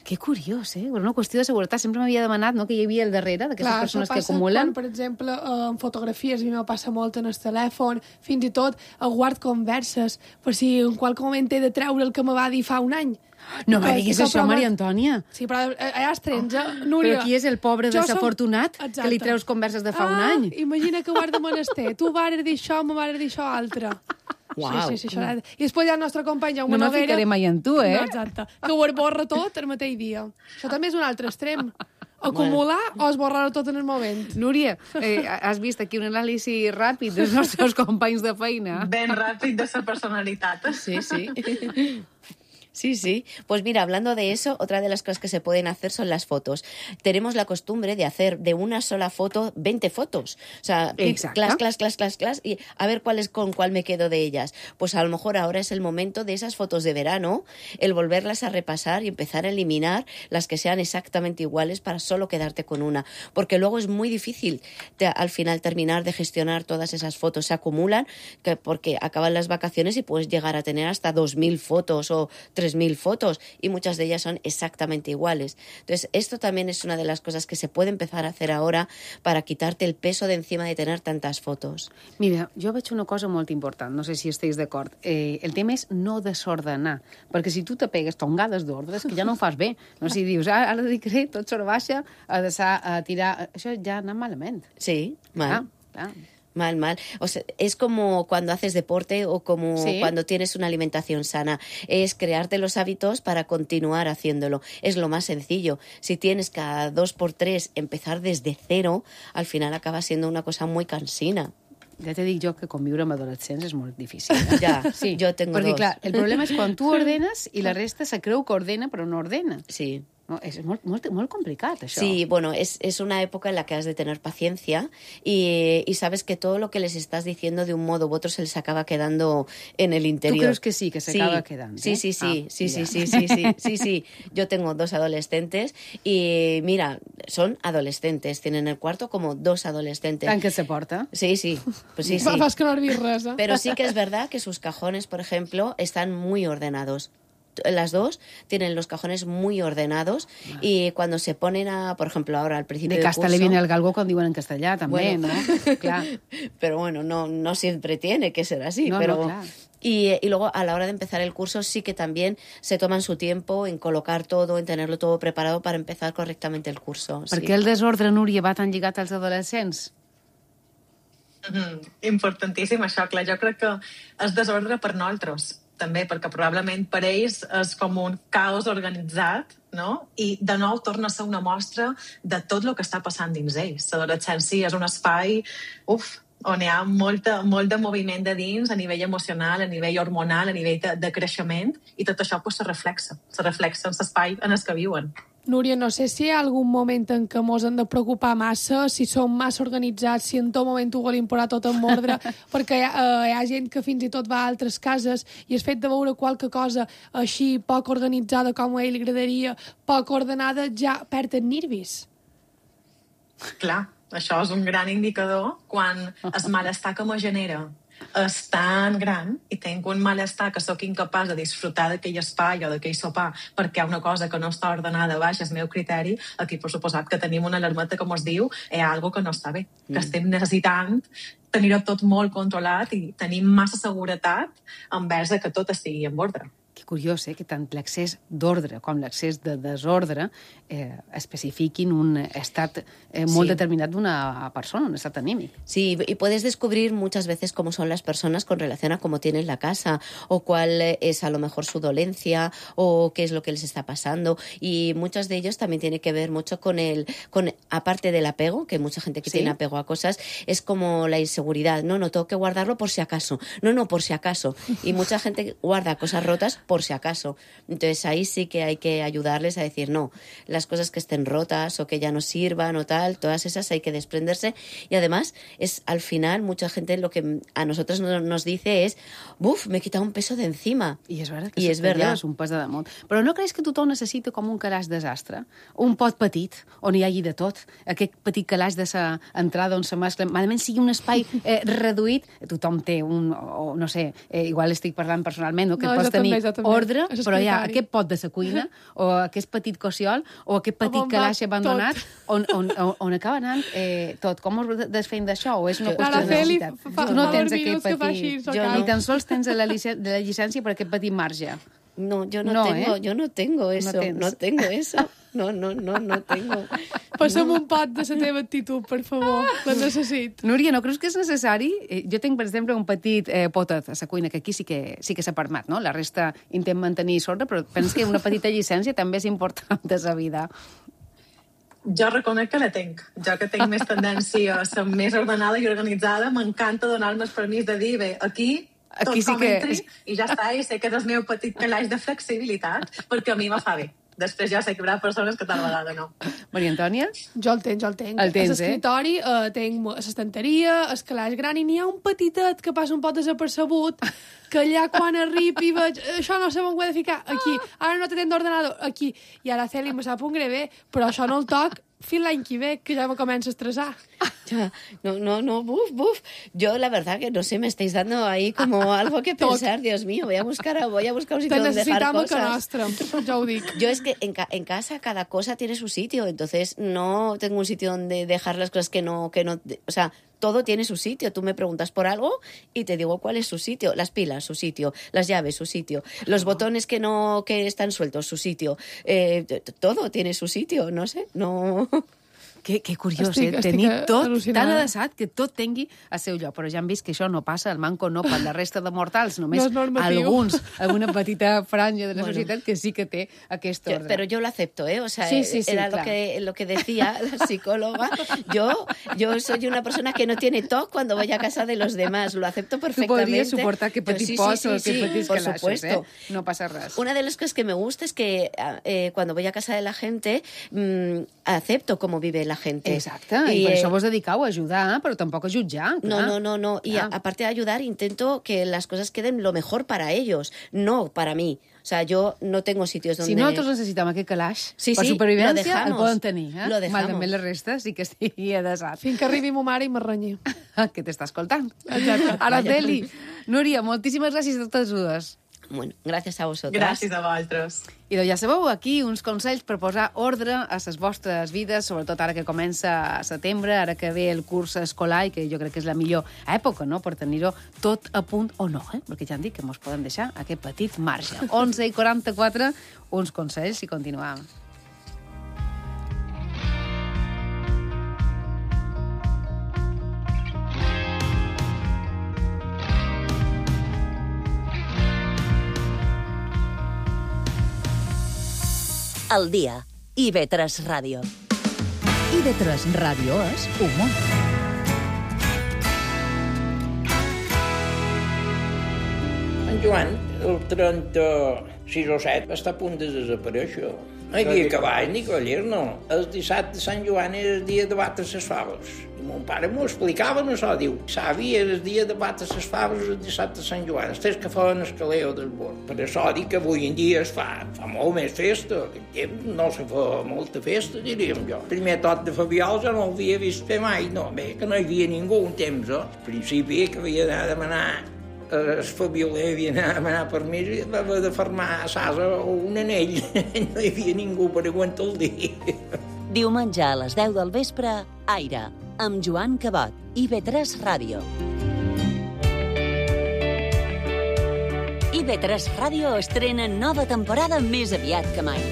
Que curiós, eh? Una qüestió de seguretat. Sempre m'havia demanat, no?, que hi havia al darrere d'aquestes persones que acumulen. Quan, per exemple, en fotografies, a mi me passa molt en el telèfon, fins i tot a guard converses, per si en qualque moment he de treure el que me va dir fa un any. No me diguis això, Maria Antònia. Sí, però allà es trens, eh? Núria. Però qui és el pobre desafortunat som... que li treus converses de fa ah, un any? Imagina que guarda menester. Tu vares dir això, me vares dir això altre. Uau. Sí, sí, sí, això. I després hi ha el nostre company Jaume no Noguera. No me ficaré mai en tu, eh? No, exacte. Que ho esborra tot el mateix dia. Això també és un altre extrem. Acumular o esborrar-ho tot en el moment. Núria, eh, has vist aquí un anàlisi ràpid dels nostres companys de feina? Ben ràpid de la personalitat. Sí, sí. Sí, sí. Pues mira, hablando de eso, otra de las cosas que se pueden hacer son las fotos. Tenemos la costumbre de hacer de una sola foto veinte fotos. O sea, clas, clas, clas, clas, clas, y a ver cuál es con cuál me quedo de ellas. Pues a lo mejor ahora es el momento de esas fotos de verano, el volverlas a repasar y empezar a eliminar las que sean exactamente iguales para solo quedarte con una. Porque luego es muy difícil te, al final terminar de gestionar todas esas fotos. Se acumulan que, porque acaban las vacaciones y puedes llegar a tener hasta dos mil fotos o tres mil fotos y muchas de ellas son exactamente iguales. Entonces, esto también es una de las cosas que se puede empezar a hacer ahora para quitarte el peso de encima de tener tantas fotos. Mira, jo veig una cosa molt important, no sé si esteu d'acord. Eh, el tema és no desordenar, perquè si tu te pegues tongades d'ordre, és que ja no ho fas bé. No si dius, ah, ara dedicaré tot sobre baixa a, deixar, a tirar... Això ja ha anat malament. Sí, mal. Ah, ah. Mal, mal. O sea, es como cuando haces deporte o como ¿Sí? cuando tienes una alimentación sana. Es crearte los hábitos para continuar haciéndolo. Es lo más sencillo. Si tienes cada dos por tres empezar desde cero, al final acaba siendo una cosa muy cansina. Ja te dic jo que conviure amb adolescents és molt difícil. Ja, Sí, jo tengo perquè, dos. clar, el problema és quan tu ordenes i la resta se creu que ordena però no ordena. Sí. No, és molt, molt, molt complicat, això. Sí, bueno, es, es una época en la que has de tener paciencia y, y sabes que todo lo que les estás diciendo de un modo u otro se les acaba quedando en el interior. ¿Tú crees que sí, que se sí. acaba quedando? Sí, ¿eh? sí, sí, Ah, sí, sí, ya. sí, sí, sí, sí, sí. Yo tengo dos adolescentes y mira, son adolescentes, tienen el cuarto como dos adolescentes. Tant que se porta. Sí, sí, pues sí, sí. Fa- Fas que no has vist res, eh? Pero sí que es verdad que sus cajones, por ejemplo, están muy ordenados. Las dos tienen los cajones muy ordenados y cuando se ponen a, por ejemplo, ahora al principio De del casta curso... le viene el galgo quan diuen en castellà, també, Bueno. no? Clar. Pero bueno, no, no siempre tiene que ser así. No, no, pero claro. y, y luego a la hora de empezar el curso sí que también se toman su tiempo en colocar todo, en tenerlo todo preparado para empezar correctamente el curso. Per sí. què el desordre, Núria, va tan lligat als adolescents? Mm, importantíssim això, clar, jo crec que és desordre per nosaltres també, perquè probablement per ells és com un caos organitzat, no? I de nou torna a ser una mostra de tot el que està passant dins ells. L'adolescència és un espai, uf, on hi ha molta, molt de moviment de dins a nivell emocional, a nivell hormonal, a nivell de, de creixement, i tot això pues, se reflexa, se reflexa en l'espai en el que viuen. Núria, no sé si hi ha algun moment en què mos hem de preocupar massa, si som massa organitzats, si en tot moment ho volim posar tot en ordre, perquè hi ha, eh, hi ha gent que fins i tot va a altres cases i el fet de veure qualque cosa així poc organitzada com a ell li agradaria, poc ordenada, ja perd els nervis. Clar, això és un gran indicador quan el malestar que me genera és tan gran i tinc un malestar que sóc incapaç de disfrutar d'aquell espai o d'aquell sopar perquè hi ha una cosa que no està ordenada baix el meu criteri, aquí per suposat que tenim una alarmeta que ens diu hi ha alguna que no està bé, que estem necessitant tenir-ho tot molt controlat i tenim massa seguretat envers que tot estigui en ordre. Que curiós, eh, que tant l'accés d'ordre com l'accés de desordre eh, especifiquin un estat eh, molt Sí. determinat d'una persona, un estat anímic. Sí, y puedes descubrir muchas veces cómo son las personas con relación a cómo tienen la casa o cuál es a lo mejor su dolencia o qué es lo que les está pasando. Y muchos de ellos también tiene que ver mucho con el, con aparte del apego, que hay mucha gente que ¿Sí? tiene apego a cosas, es como la inseguridad. No, no, tengo que guardarlo por si acaso. No, no, por si acaso. Y mucha gente guarda cosas rotas por si acaso. Entonces ahí sí que hay que ayudarles a decir, no, las cosas que estén rotas o que ya no sirvan o tal, todas esas hay que desprenderse. Y además, es al final, mucha gente lo que a nosotros no- nos dice es, buf, me he quitado un peso de encima. I és veritat que I se és te verdad. lleves un pes de damunt. Però no creus que tothom necessita com un calaix desastre? Un pot petit, on hi hagi de tot. Aquest petit calaix de sa entrada on se mescla, malament sigui un espai eh, reduït, tothom té un, o no sé, eh, igual estic parlant personalment, no? que No, pots jo també, tenir jo també. ordre, És però hi ha escritari. aquest pot de sa cuina, o aquest petit cociol, o aquest petit On va calaix abandonat, tot. on, on, on, on acaba anant eh, tot. Com us desfem d'això? O és una qüestió de Araceli, necessitat? fa- Tu no fa tens dos aquest minuts que fa petit... així, Jo Ni no. tan sols tens la, licència, la llicència per aquest petit marge. No, yo no, No, tengo, ¿eh? yo no tengo eso, tens. no tengo eso. No, no, no, no tengo. Passa'm un pot de la teva actitud, per favor. La necessito. Núria, no creus que és necessari? Eh, Jo tinc, per exemple, un petit eh, potet a la cuina, que aquí sí que sí que s'ha permet, no? La resta intent mantenir sorda, però penso que una petita llicència també és important de la vida. Jo reconec que la tinc. Jo que tinc més tendència a ser més ordenada i organitzada, m'encanta donar-me el permís de dir, bé, aquí tot Aquí sí com que- entri i ja està, i sé que és el meu petit calaix de flexibilitat, perquè a mi me fa bé. Després ja sé que hi haurà persones que tal vegada no. Maria Antònia? Jo el tenc, jo el tenc. El tens, a l'escriptori eh? tenc l'estanteria, el calaix gran, i n'hi ha un petitet que passa un pot desapercebut, que allà quan arribi veig, això no sé on ho he de ficar, aquí, ara no tenen d'ordenador, aquí. I ara Celi me sap un greve, però això no el toc fins l'any que ve, que ja me comença a estressar. Ya, no, no, no, buf, buf. Yo la verdad que no sé, me estáis dando ahí como algo que pensar, Dios mío, voy a buscar, a- voy a buscar un sitio Te donde dejar necessitam a que cosas. nostra, ja ho dic. Yo es que en, ca- en casa cada cosa tiene su sitio, entonces no tengo un sitio donde dejar las cosas que no, que no, o sea, todo tiene su sitio. Tú me preguntas por algo y te digo cuál es su sitio. Las pilas, su sitio. Las llaves, su sitio. Los botones que no, que están sueltos, su sitio. Eh, t- t- todo tiene su sitio, no sé, no. Que, que curiós, Estic- eh? estic Tenir tot al·lucinada. tan adreçat que tot tingui el seu lloc. Però ja hem vist que això no passa, el manco no per la resta de mortals, només No és normatiu. alguns, alguna petita franja de la Bueno. societat que sí que té aquest Yo- ordre. pero yo lo acepto, ¿eh? O sea, Sí, sí, sí, era claro. lo que, lo que decía la psicóloga. Yo, yo soy una persona que no tiene T O C cuando voy a casa de los demás. Lo acepto Tu perfectamente. podries suportar que Yo petit sí, sí, pos sí, o sí, que petits por calaixos, supuesto. eh? No passa res. Una de las cosas que me gusta es que eh, cuando voy a casa de la gente mmm, acepto cómo vive la gente. Exacte, i, i per eh, això vos dediqueu a ajudar, però tampoc a jutjar. No, clar. no, no, no. Y Clar. a- aparte de ayudar, intento que las cosas queden lo mejor para ellos, no para mí. O sea, yo no tengo sitios donde... Si nosaltres necessitem aquest calaix Sí, per sí, supervivència, lo dejamos. el poden tenir. Eh? Lo dejamos. Malament la resta sí que estigui adesat. Fins que arribi ma mare i m'arrenyi. Que t'està escoltant. Araceli, Núria, moltíssimes gràcies a totes dues. Bueno, gracias a vosotras. Gràcies a vosaltres. I doncs ja sabeu, aquí uns consells per posar ordre a les vostres vides, sobretot ara que comença setembre, ara que ve el curs escolar i que jo crec que és la millor època, no?, per tenir-ho tot a punt o no, eh? Perquè ja han dit que mos podem deixar aquest petit marge. onze i quaranta-quatre, uns consells i continuem. El dia. I ve tres Ràdio. I de tres Ràdio és humor. En Joan, el trenta-sis o set, està a punt de desaparèixer. No hi havia cavalls ni cavallers, no. El dissabte de Sant Joan era el dia de batre les faves. I mon pare m'ho explicava, no això, diu, savi, era el dia de batre les faves el dissabte de Sant Joan, els tres que feien el caleo del bord. Per això dic que avui en dia es fa, fa molt més festa. Aquest temps no se fa molta festa, diríem jo. Primer tot de Fabiol ja no ho havia vist fer mai, no, bé, que no hi havia ningú un temps, eh? Al principi que havia d'anar a demanar el Fabioler havia d'anar a demanar permís i va haver de fermar a Sasa un anell. No hi havia ningú per aguantar el dia. Diumenge a les deu del vespre, Aire, amb Joan Cabot, I V tres Ràdio. I V tres Ràdio estrena nova temporada més aviat que mai.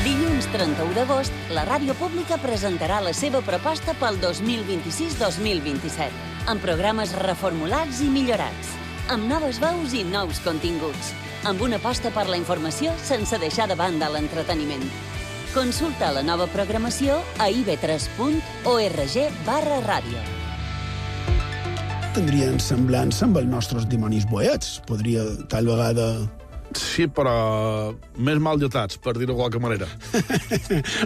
Dilluns trenta-u d'agost, la ràdio pública presentarà la seva proposta pel dos mil vint-i-sis dos mil vint-i-set, amb programes reformulats i millorats, amb noves veus i nous continguts, amb una aposta per la informació sense deixar de banda l'entreteniment. Consulta la nova programació a i ve tres punt org barra ràdio. Tindrien semblança amb els nostres dimonis boets. Podria, tal vegada... Sí, però més mal dotats, per dir-ho de qualque manera.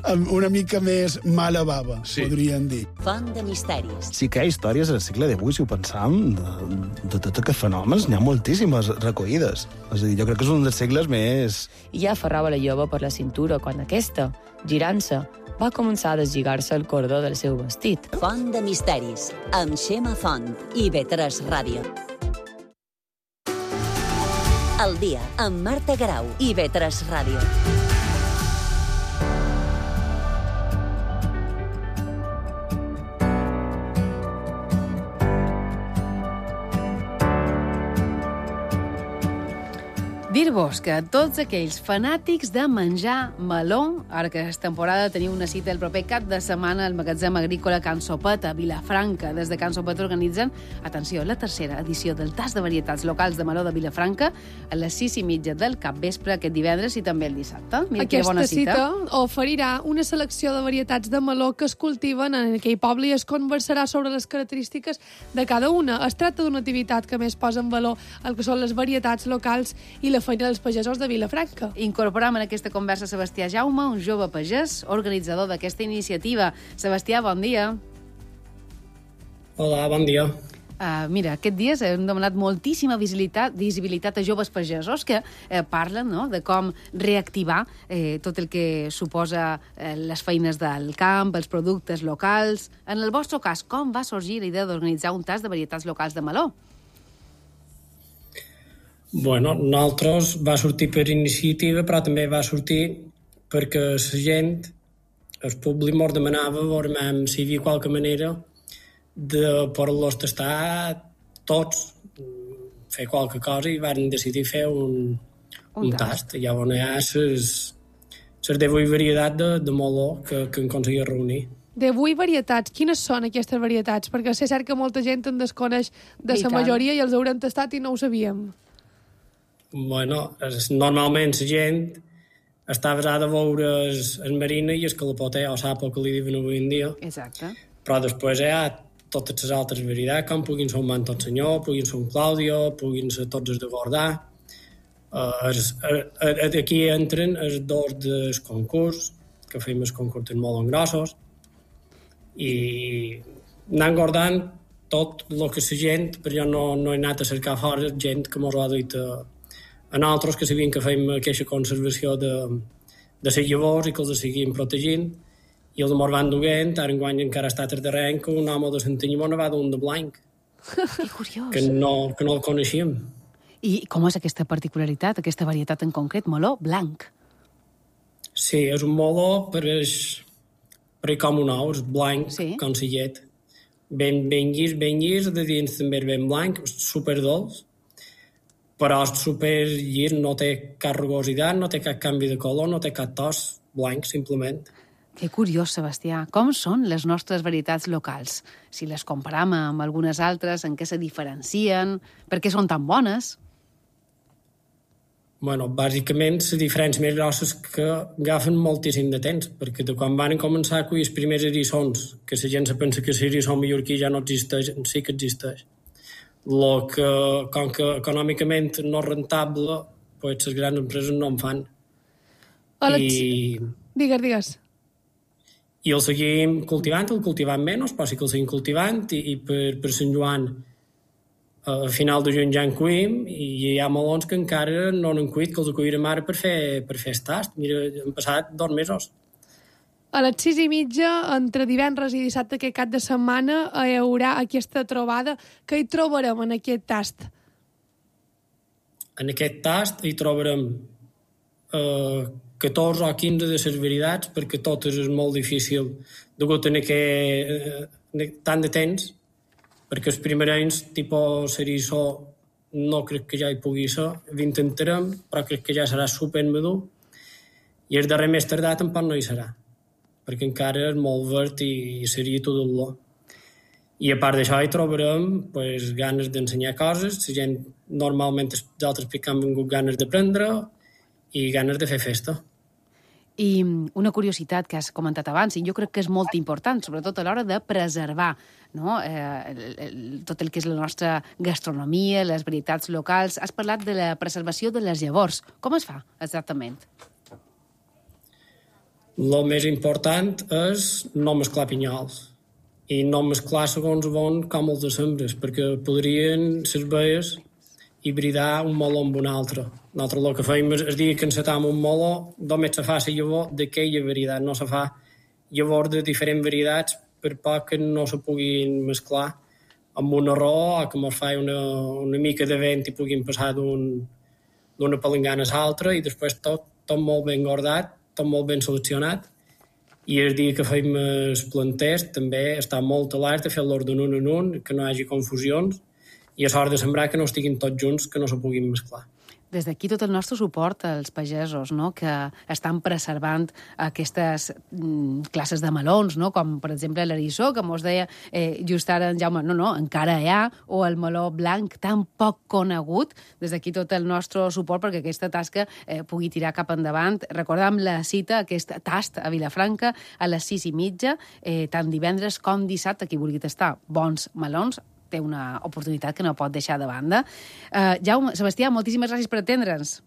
Amb una mica més mala bava, Sí. podrien dir. Font de misteris. Sí que hi ha històries al segle divuit, si ho pensam, de, de tot aquests fenòmens, n'hi ha moltíssimes recollides. És a dir, jo crec que és un dels segles més... I ja aferrava la jove per la cintura quan aquesta, girant-se, va començar a deslligar-se el cordó del seu vestit. Font de misteris, amb Xema Font, I V tres Ràdio. El dia, amb Marta Grau, I V tres Ràdio. Dir-vos que tots aquells fanàtics de menjar meló, ara que és temporada, teniu una cita el proper cap de setmana al magatzem agrícola Can Sopet a Vilafranca. Des de Can Sopet organitzen, atenció, la tercera edició del tas de varietats locals de meló de Vilafranca a les sis i mitja del capvespre aquest divendres i també el dissabte. Mira quina Aquesta bona cita. cita oferirà una selecció de varietats de meló que es cultiven en aquell poble i es conversarà sobre les característiques de cada una. Es tracta d'una activitat que més posa en valor el que són les varietats locals i la feina dels pagesos de Vilafranca. Incorporam en aquesta conversa Sebastià Jaume, un jove pagès, organitzador d'aquesta iniciativa. Sebastià, bon dia. Hola, bon dia. Uh, mira, aquest dies hem demanat moltíssima visibilitat, visibilitat a joves pagesos que eh, parlen, no?, de com reactivar eh, tot el que suposa eh, les feines del camp, els productes locals. En el vostre cas, com va sorgir la idea d'organitzar un tas de varietats locals de meló? Bueno, nosaltres va sortir per iniciativa, però també va sortir perquè la gent, el públic, ens demanava veurem si hi havia qualque manera de poder-los tastar tots, fer qualque cosa, i van decidir fer un, un, un tast. tast. Llavors hi ha ses, les divuit varietats de, de meló que, que hem aconseguit reunir. divuit varietats. Quines són aquestes varietats? Perquè és cert que molta gent en desconeix de la majoria i els haurem tastat i no ho sabíem. Bueno, es, normalment la gent està basada a veure el, el marina i el calapoter, o sapo que li diuen avui en dia. Exacte. Però després hi ha totes les altres varietats, com puguin ser un Manton Senyor, puguin ser un Claudio, puguin ser tots els de Gordà. Uh, es, uh, aquí entren els dos del concurs, que fem els concursos molt grossos, i anant guardant tot el que la gent, però jo no, no he anat a cercar fora gent que mos ho ha dit a, a nosaltres, que sabien que fem aquesta conservació de, de les llavors i que els seguim protegint, i els mos van duent, ara enguany encara està a darrere que un home de Santanyimona va d'un de blanc. Que curiós. Que no, que no el coneixíem. I com és aquesta particularitat, aquesta varietat en concret, meló blanc? Sí, és un meló, però és, però és com un ou, és blanc, sí. Com la llet. Ben, ben llis, ben llis, de dins també és ben blanc, superdolç, però és super llis, no té cap rugositat, no té cap canvi de color, no té cap tos, blanc, simplement. Que curiós, Sebastià. Com són les nostres varietats locals? Si les comparam amb algunes altres, en què se diferencien? Per què són tan bones? Bueno, bàsicament, la diferència més grossa és que agafen moltíssim de temps, perquè de quan van començar a collir els primers eriçons, que la gent se pensa que l'eriçó mallorquí ja no existeix, sí que existeix. Lo que, com que econòmicament no és rentable, pues les grans empreses no en fan. Hola, I... Digues, digues. I el seguim cultivant, el cultivant menys, però sí que el seguim cultivant, i, i per, per Sant Joan, a final de juny ja en cuim, i hi ha melons que encara no n'han cuit, que els acollirem ara per fer, per fer el tast. Mira, han passat dos mesos. A les sis i mitja, entre divendres i dissabte, aquest cap de setmana, hi haurà aquesta trobada. Què hi trobarem en aquest tast? En aquest tast hi trobarem eh, catorze o quinze de les varietats, perquè totes és molt difícil, degut a que eh, tant de temps, perquè els primerencs, tipus eriçó, no crec que ja hi pugui ser, l'intentarem, però crec que ja serà supermadur, i el darrer més tardat tampoc no hi serà, perquè encara és molt verd i seria tot l'olor. I a part d'això hi trobarem pues, ganes d'ensenyar coses, la gent normalment els altres que han vingut ganes d'aprendre i ganes de fer festa. I una curiositat que has comentat abans, i jo crec que és molt important, sobretot a l'hora de preservar, no? eh, el, el, tot el que és la nostra gastronomia, les varietats locals. Has parlat de la preservació de les llavors. Com es fa, exactament? El més important és no mesclar pinyols i no mesclar segons on com els de sembres, perquè podrien les baies hibridar un meló amb un altre. Nosaltres el que fem és el dia que encetam un meló, només se fa la llavor d'aquella varietat, no se fa llavors de diferents varietats per poc que no se puguin mesclar amb un arròs o que mos fa una, una mica de vent i puguin passar d'una un, palangana a l'altra i després tot, tot molt ben guardat, tot molt ben seleccionat. I el dia que fem els planters també està molt alerta a fer-los d'un un en un, que no hi hagi confusions, i a l'hora de sembrar que no estiguin tots junts, que no se puguin mesclar. Des d'aquí tot el nostre suport als pagesos, no?, que estan preservant aquestes mm, classes de melons, no?, com per exemple l'eriçó, que mos deia eh, just ara en Jaume, no, no, encara hi ha, o el meló blanc tan poc conegut. Des d'aquí tot el nostre suport perquè aquesta tasca eh, pugui tirar cap endavant. Recordam la cita, aquest tast a Vilafranca a les sis i mitja, eh, tant divendres com dissabte, qui vulgui tastar bons melons, té una oportunitat que no pot deixar de banda. Uh, Jaume, Sebastià, moltíssimes gràcies per atendre'ns.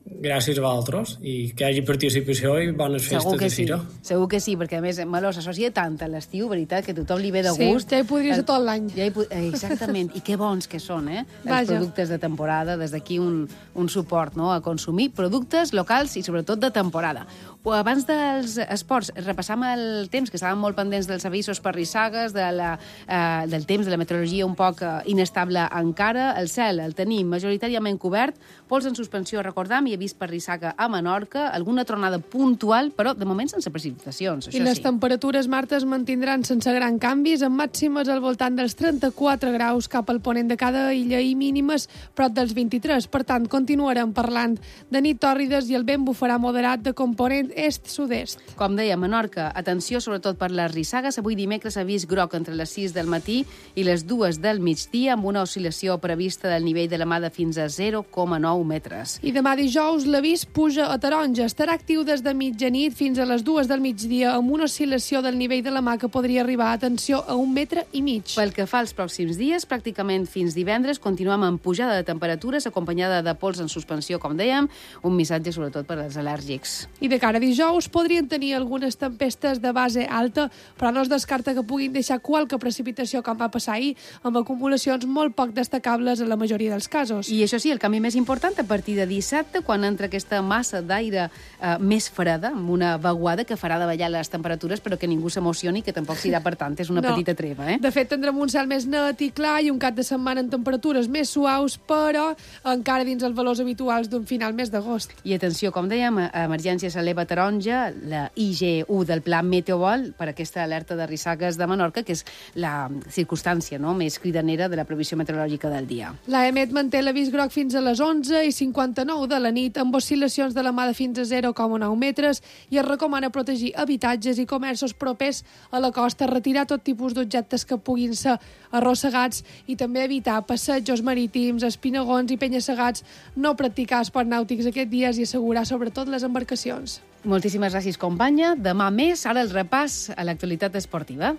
Gràcies a vosaltres i que hi hagi participació i bones festes de fira. Sí. Segur que sí, perquè a més meló s'associa tant a l'estiu, veritat, que tothom li ve de gust. Sí, ja hi podria ser tot l'any. Ja hi, exactament, i que bons que són, eh? Vaja. Els productes de temporada, des d'aquí un, un suport, no?, a consumir productes locals i sobretot de temporada. O abans dels esports, repassam el temps, que estàvem molt pendents dels avisos per rissagues, de la, eh, del temps, de la meteorologia un poc inestable encara. El cel el tenim majoritàriament cobert, pols en suspensió, recordam, hi ha vist per rissaga a Menorca, alguna tronada puntual, però de moment sense precipitacions, això I les sí. temperatures, Marta, es mantindran sense gran canvis, amb màximes al voltant dels trenta-quatre graus cap al ponent de cada illa i mínimes prop dels vint-i-tres. Per tant, continuarem parlant de nit tòrrides i el vent bufarà moderat de component est-sud-est. Com deia, Menorca, atenció sobretot per les rissagues. Avui dimecres ha vist groc entre les sis del matí i les dues del migdia, amb una oscil·lació prevista del nivell de la mà de fins a zero coma nou metres. I demà dijous l'avís puja a taronja. Estarà actiu des de mitjanit fins a les dues del migdia amb una oscil·lació del nivell de la mà que podria arribar, atenció, a un metre i mig. Pel que fa als pròxims dies, pràcticament fins divendres, continuem amb pujada de temperatures acompanyada de pols en suspensió, com dèiem, un missatge sobretot per als al·lèrgics. I de cara a dijous podrien tenir algunes tempestes de base alta, però no es descarta que puguin deixar qualque precipitació com va passar ahir, amb acumulacions molt poc destacables en la majoria dels casos. I això sí, el canvi més important a partir de dissabte, quan entra aquesta massa d'aire eh, més freda, amb una vaguada que farà davallar les temperatures, però que ningú s'emocioni, que tampoc serà per tant, és una no. petita treva. Eh? De fet, tindrem un cel més net i clar i un cap de setmana en temperatures més suaus, però encara dins els valors habituals d'un final mes d'agost. I atenció, com dèiem, emergència s'eleva taronja, la I G U del Pla Meteobol, per aquesta alerta de rissagues de Menorca, que és la circumstància no, més cridanera de la previsió meteorològica del dia. La EMET manté l'avís groc fins a les onze i cinquanta-nou de la nit, amb oscil·lacions de la mà de fins a zero coma nou metres, i es recomana protegir habitatges i comerços propers a la costa, retirar tot tipus d'objectes que puguin ser arrossegats i també evitar passejos marítims, espinagons i penya-segats, no practicar esports nàutics aquests dies i assegurar sobretot les embarcacions. Moltíssimes gràcies, companya. Demà més, ara el repàs a l'actualitat esportiva.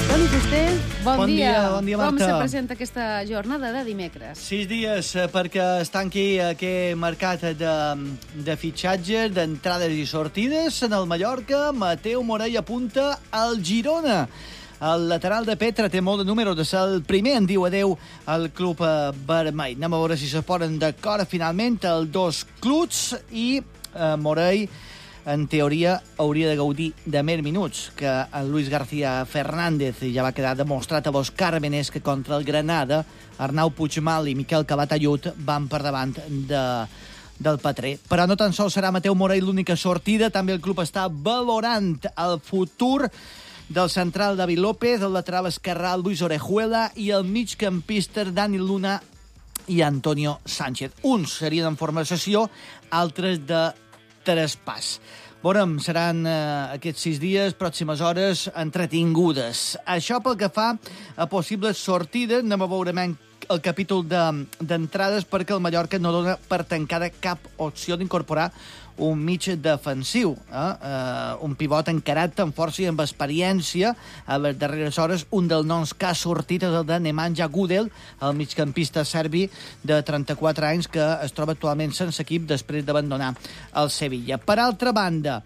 Toni Fuster, bon, bon dia. dia. Bon dia, Marta. Com se presenta aquesta jornada de dimecres? Sis dies perquè es tanqui aquest mercat de, de fitxatges, d'entrades i sortides en el Mallorca. Mateu Morell apunta al Girona. El lateral de Petra té molt de números de ser el primer en diu adeu al club vermell. Anem a veure si se posen d'acord finalment els dos clubs i eh, Morell en teoria hauria de gaudir de més minuts que el Luis García Fernández. Ja va quedar demostrat a Los Cármenes que contra el Granada Arnau Puigmal i Miquel Calatayud van per davant de, del Petrer. Però no tan sols serà Mateu Morell l'única sortida, també el club està valorant el futur del central David López, el lateral esquerrà Luis Orejuela i el migcampista Dani Luna i Antonio Sánchez. Uns serien en forma de cessió, altres de traspàs. Veurem, seran eh, aquests sis dies, pròximes hores, entretingudes. Això pel que fa a possibles sortides, anem a veure el capítol d'entrades de, perquè el Mallorca no dona per tancada cap opció d'incorporar un mig defensiu, eh? Uh, un pivot encarat amb força i amb experiència. A les darreres hores, un dels noms que ha sortit és el de Nemanja Gudel, el migcampista serbi de trenta-quatre anys que es troba actualment sense equip després d'abandonar el Sevilla. Per altra banda,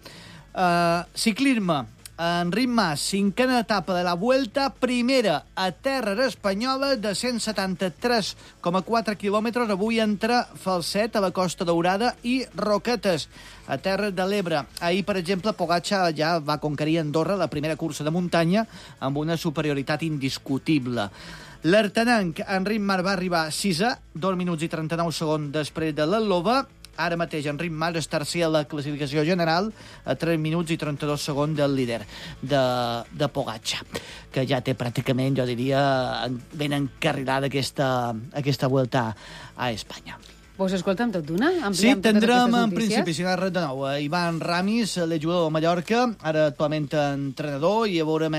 uh, ciclisme. Enric Mas, cinquena etapa de la Vuelta, primera a terra espanyola de cent setanta-tres coma quatre quilòmetres, avui entre Falset, a la Costa Daurada, i Roquetes, a terra de l'Ebre. Ahir, per exemple, Pogačar ja va conquerir Andorra, la primera cursa de muntanya, amb una superioritat indiscutible. L'Artenenc, Enric Mas, va arribar sisè, dos minuts i trenta-nou segons després de l'Eslova. Ara mateix Enric Mas és tercer a la classificació general a tres minuts i trenta-dos segons del líder de, de Pogačar, que ja té pràcticament, jo diria, ben encarrilada aquesta, aquesta Vuelta a Espanya. Vos escoltem tot d'una? Sí, tindrem en principi, si no res de nou, Ivan Ramis, l'exjugador de Mallorca, ara actualment entrenador, i a veurem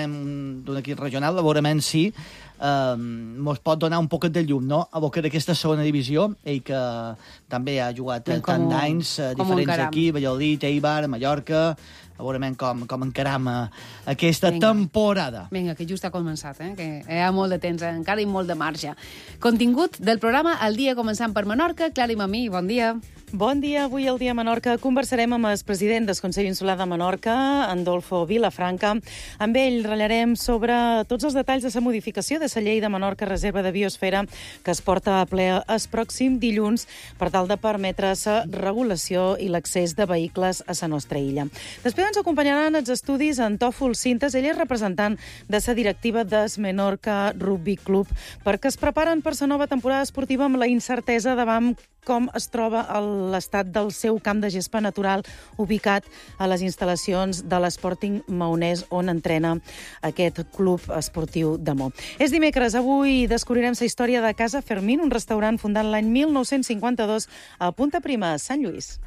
d'un equip regional, a veurem si eh, mos pot donar un poquet de llum, no?, a boca d'aquesta segona divisió, ell que també ha jugat tant d'anys, diferents equips, Valladolid, Eibar, Mallorca. A veurem com, com encaram aquesta Vinga. temporada. Vinga, que just ha començat, eh? Que hi ha molt de temps, encara i molt de marge. Contingut del programa El dia començant per Menorca. Clara i Mamí, bon dia. Bon dia. Avui al dia a Menorca conversarem amb el president del Consell Insular de Menorca, Andolfo Vilafranca. Amb ell ratllarem sobre tots els detalls de la modificació de la llei de Menorca Reserva de Biosfera que es porta a ple el pròxim dilluns per tal de permetre la regulació i l'accés de vehicles a la nostra illa. Després ens acompanyaran els estudis en Tòfol Cintes. Ell és representant de la directiva del Menorca Rugby Club, perquè es preparen per la nova temporada esportiva amb la incertesa davant com es troba l'estat del seu camp de gespa natural ubicat a les instal·lacions de l'Sporting Maonès, on entrena aquest club esportiu de Mo. És dimecres, avui descobrirem la història de Casa Fermín, un restaurant fundat l'any mil nou-cents cinquanta-dos a Punta Prima, Sant Lluís.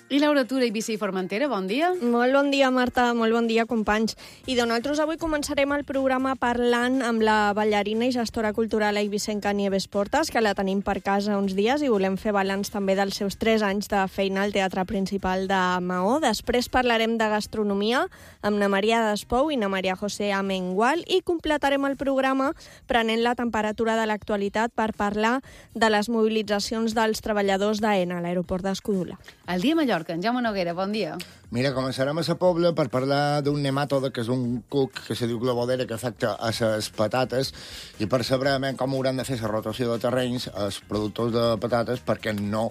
I Laura Tura, Eivissa i Formentera, bon dia. Molt bon dia, Marta, molt bon dia, companys. I de nosaltres avui començarem el programa parlant amb la ballarina i gestora cultural eivissenca Nieves Portas, que la tenim per casa uns dies i volem fer balanç també dels seus tres anys de feina al Teatre Principal de Maó. Després parlarem de gastronomia amb na Maria Despou i na Maria José Amengual i completarem el programa prenent la temperatura de l'actualitat per parlar de les mobilitzacions dels treballadors d'AENA a l'aeroport d'Escudula. El dia a Mallorca, en Jaume Noguera, bon dia. Mira, començarem a la Pobla per parlar d'un nemàtode, que és un cuc que se diu globodera, que afecta a les patates, i per saber com hauran de fer la rotació de terrenys els productors de patates perquè no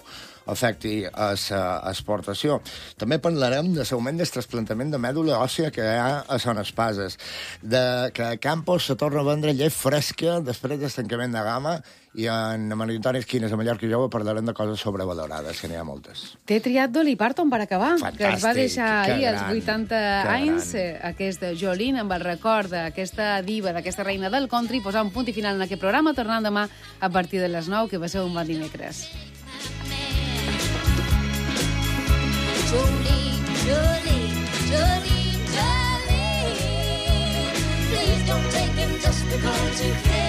afecti a l'exportació. També parlarem de l'augment del trasplantament de mèdula òssia que hi ha a Son Espases, de que a Campos se torna a vendre llet fresca després del tancament de gamma, i en Maritoni Esquines, a Mallorca i Jove, parlarem de coses sobrevalorades, que n'hi ha moltes. T'he triat Dolly Parton per acabar, Fantàstic, que es va deixar ahir als vuitanta anys, gran. aquest Jolene, amb el record d'aquesta diva, d'aquesta reina del country, posar un punt i final en aquest programa, tornant demà a partir de les nou, que va ser un bon dimecres. Jolene, Jolene, Jolene, Jolene, please don't take him just because you can.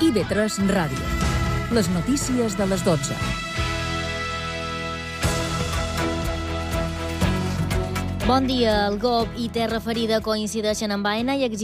I B tres Ràdio. Les notícies de les dotze. Bon dia. El G O P i Terra Ferida coincideixen amb AENA i exigeixen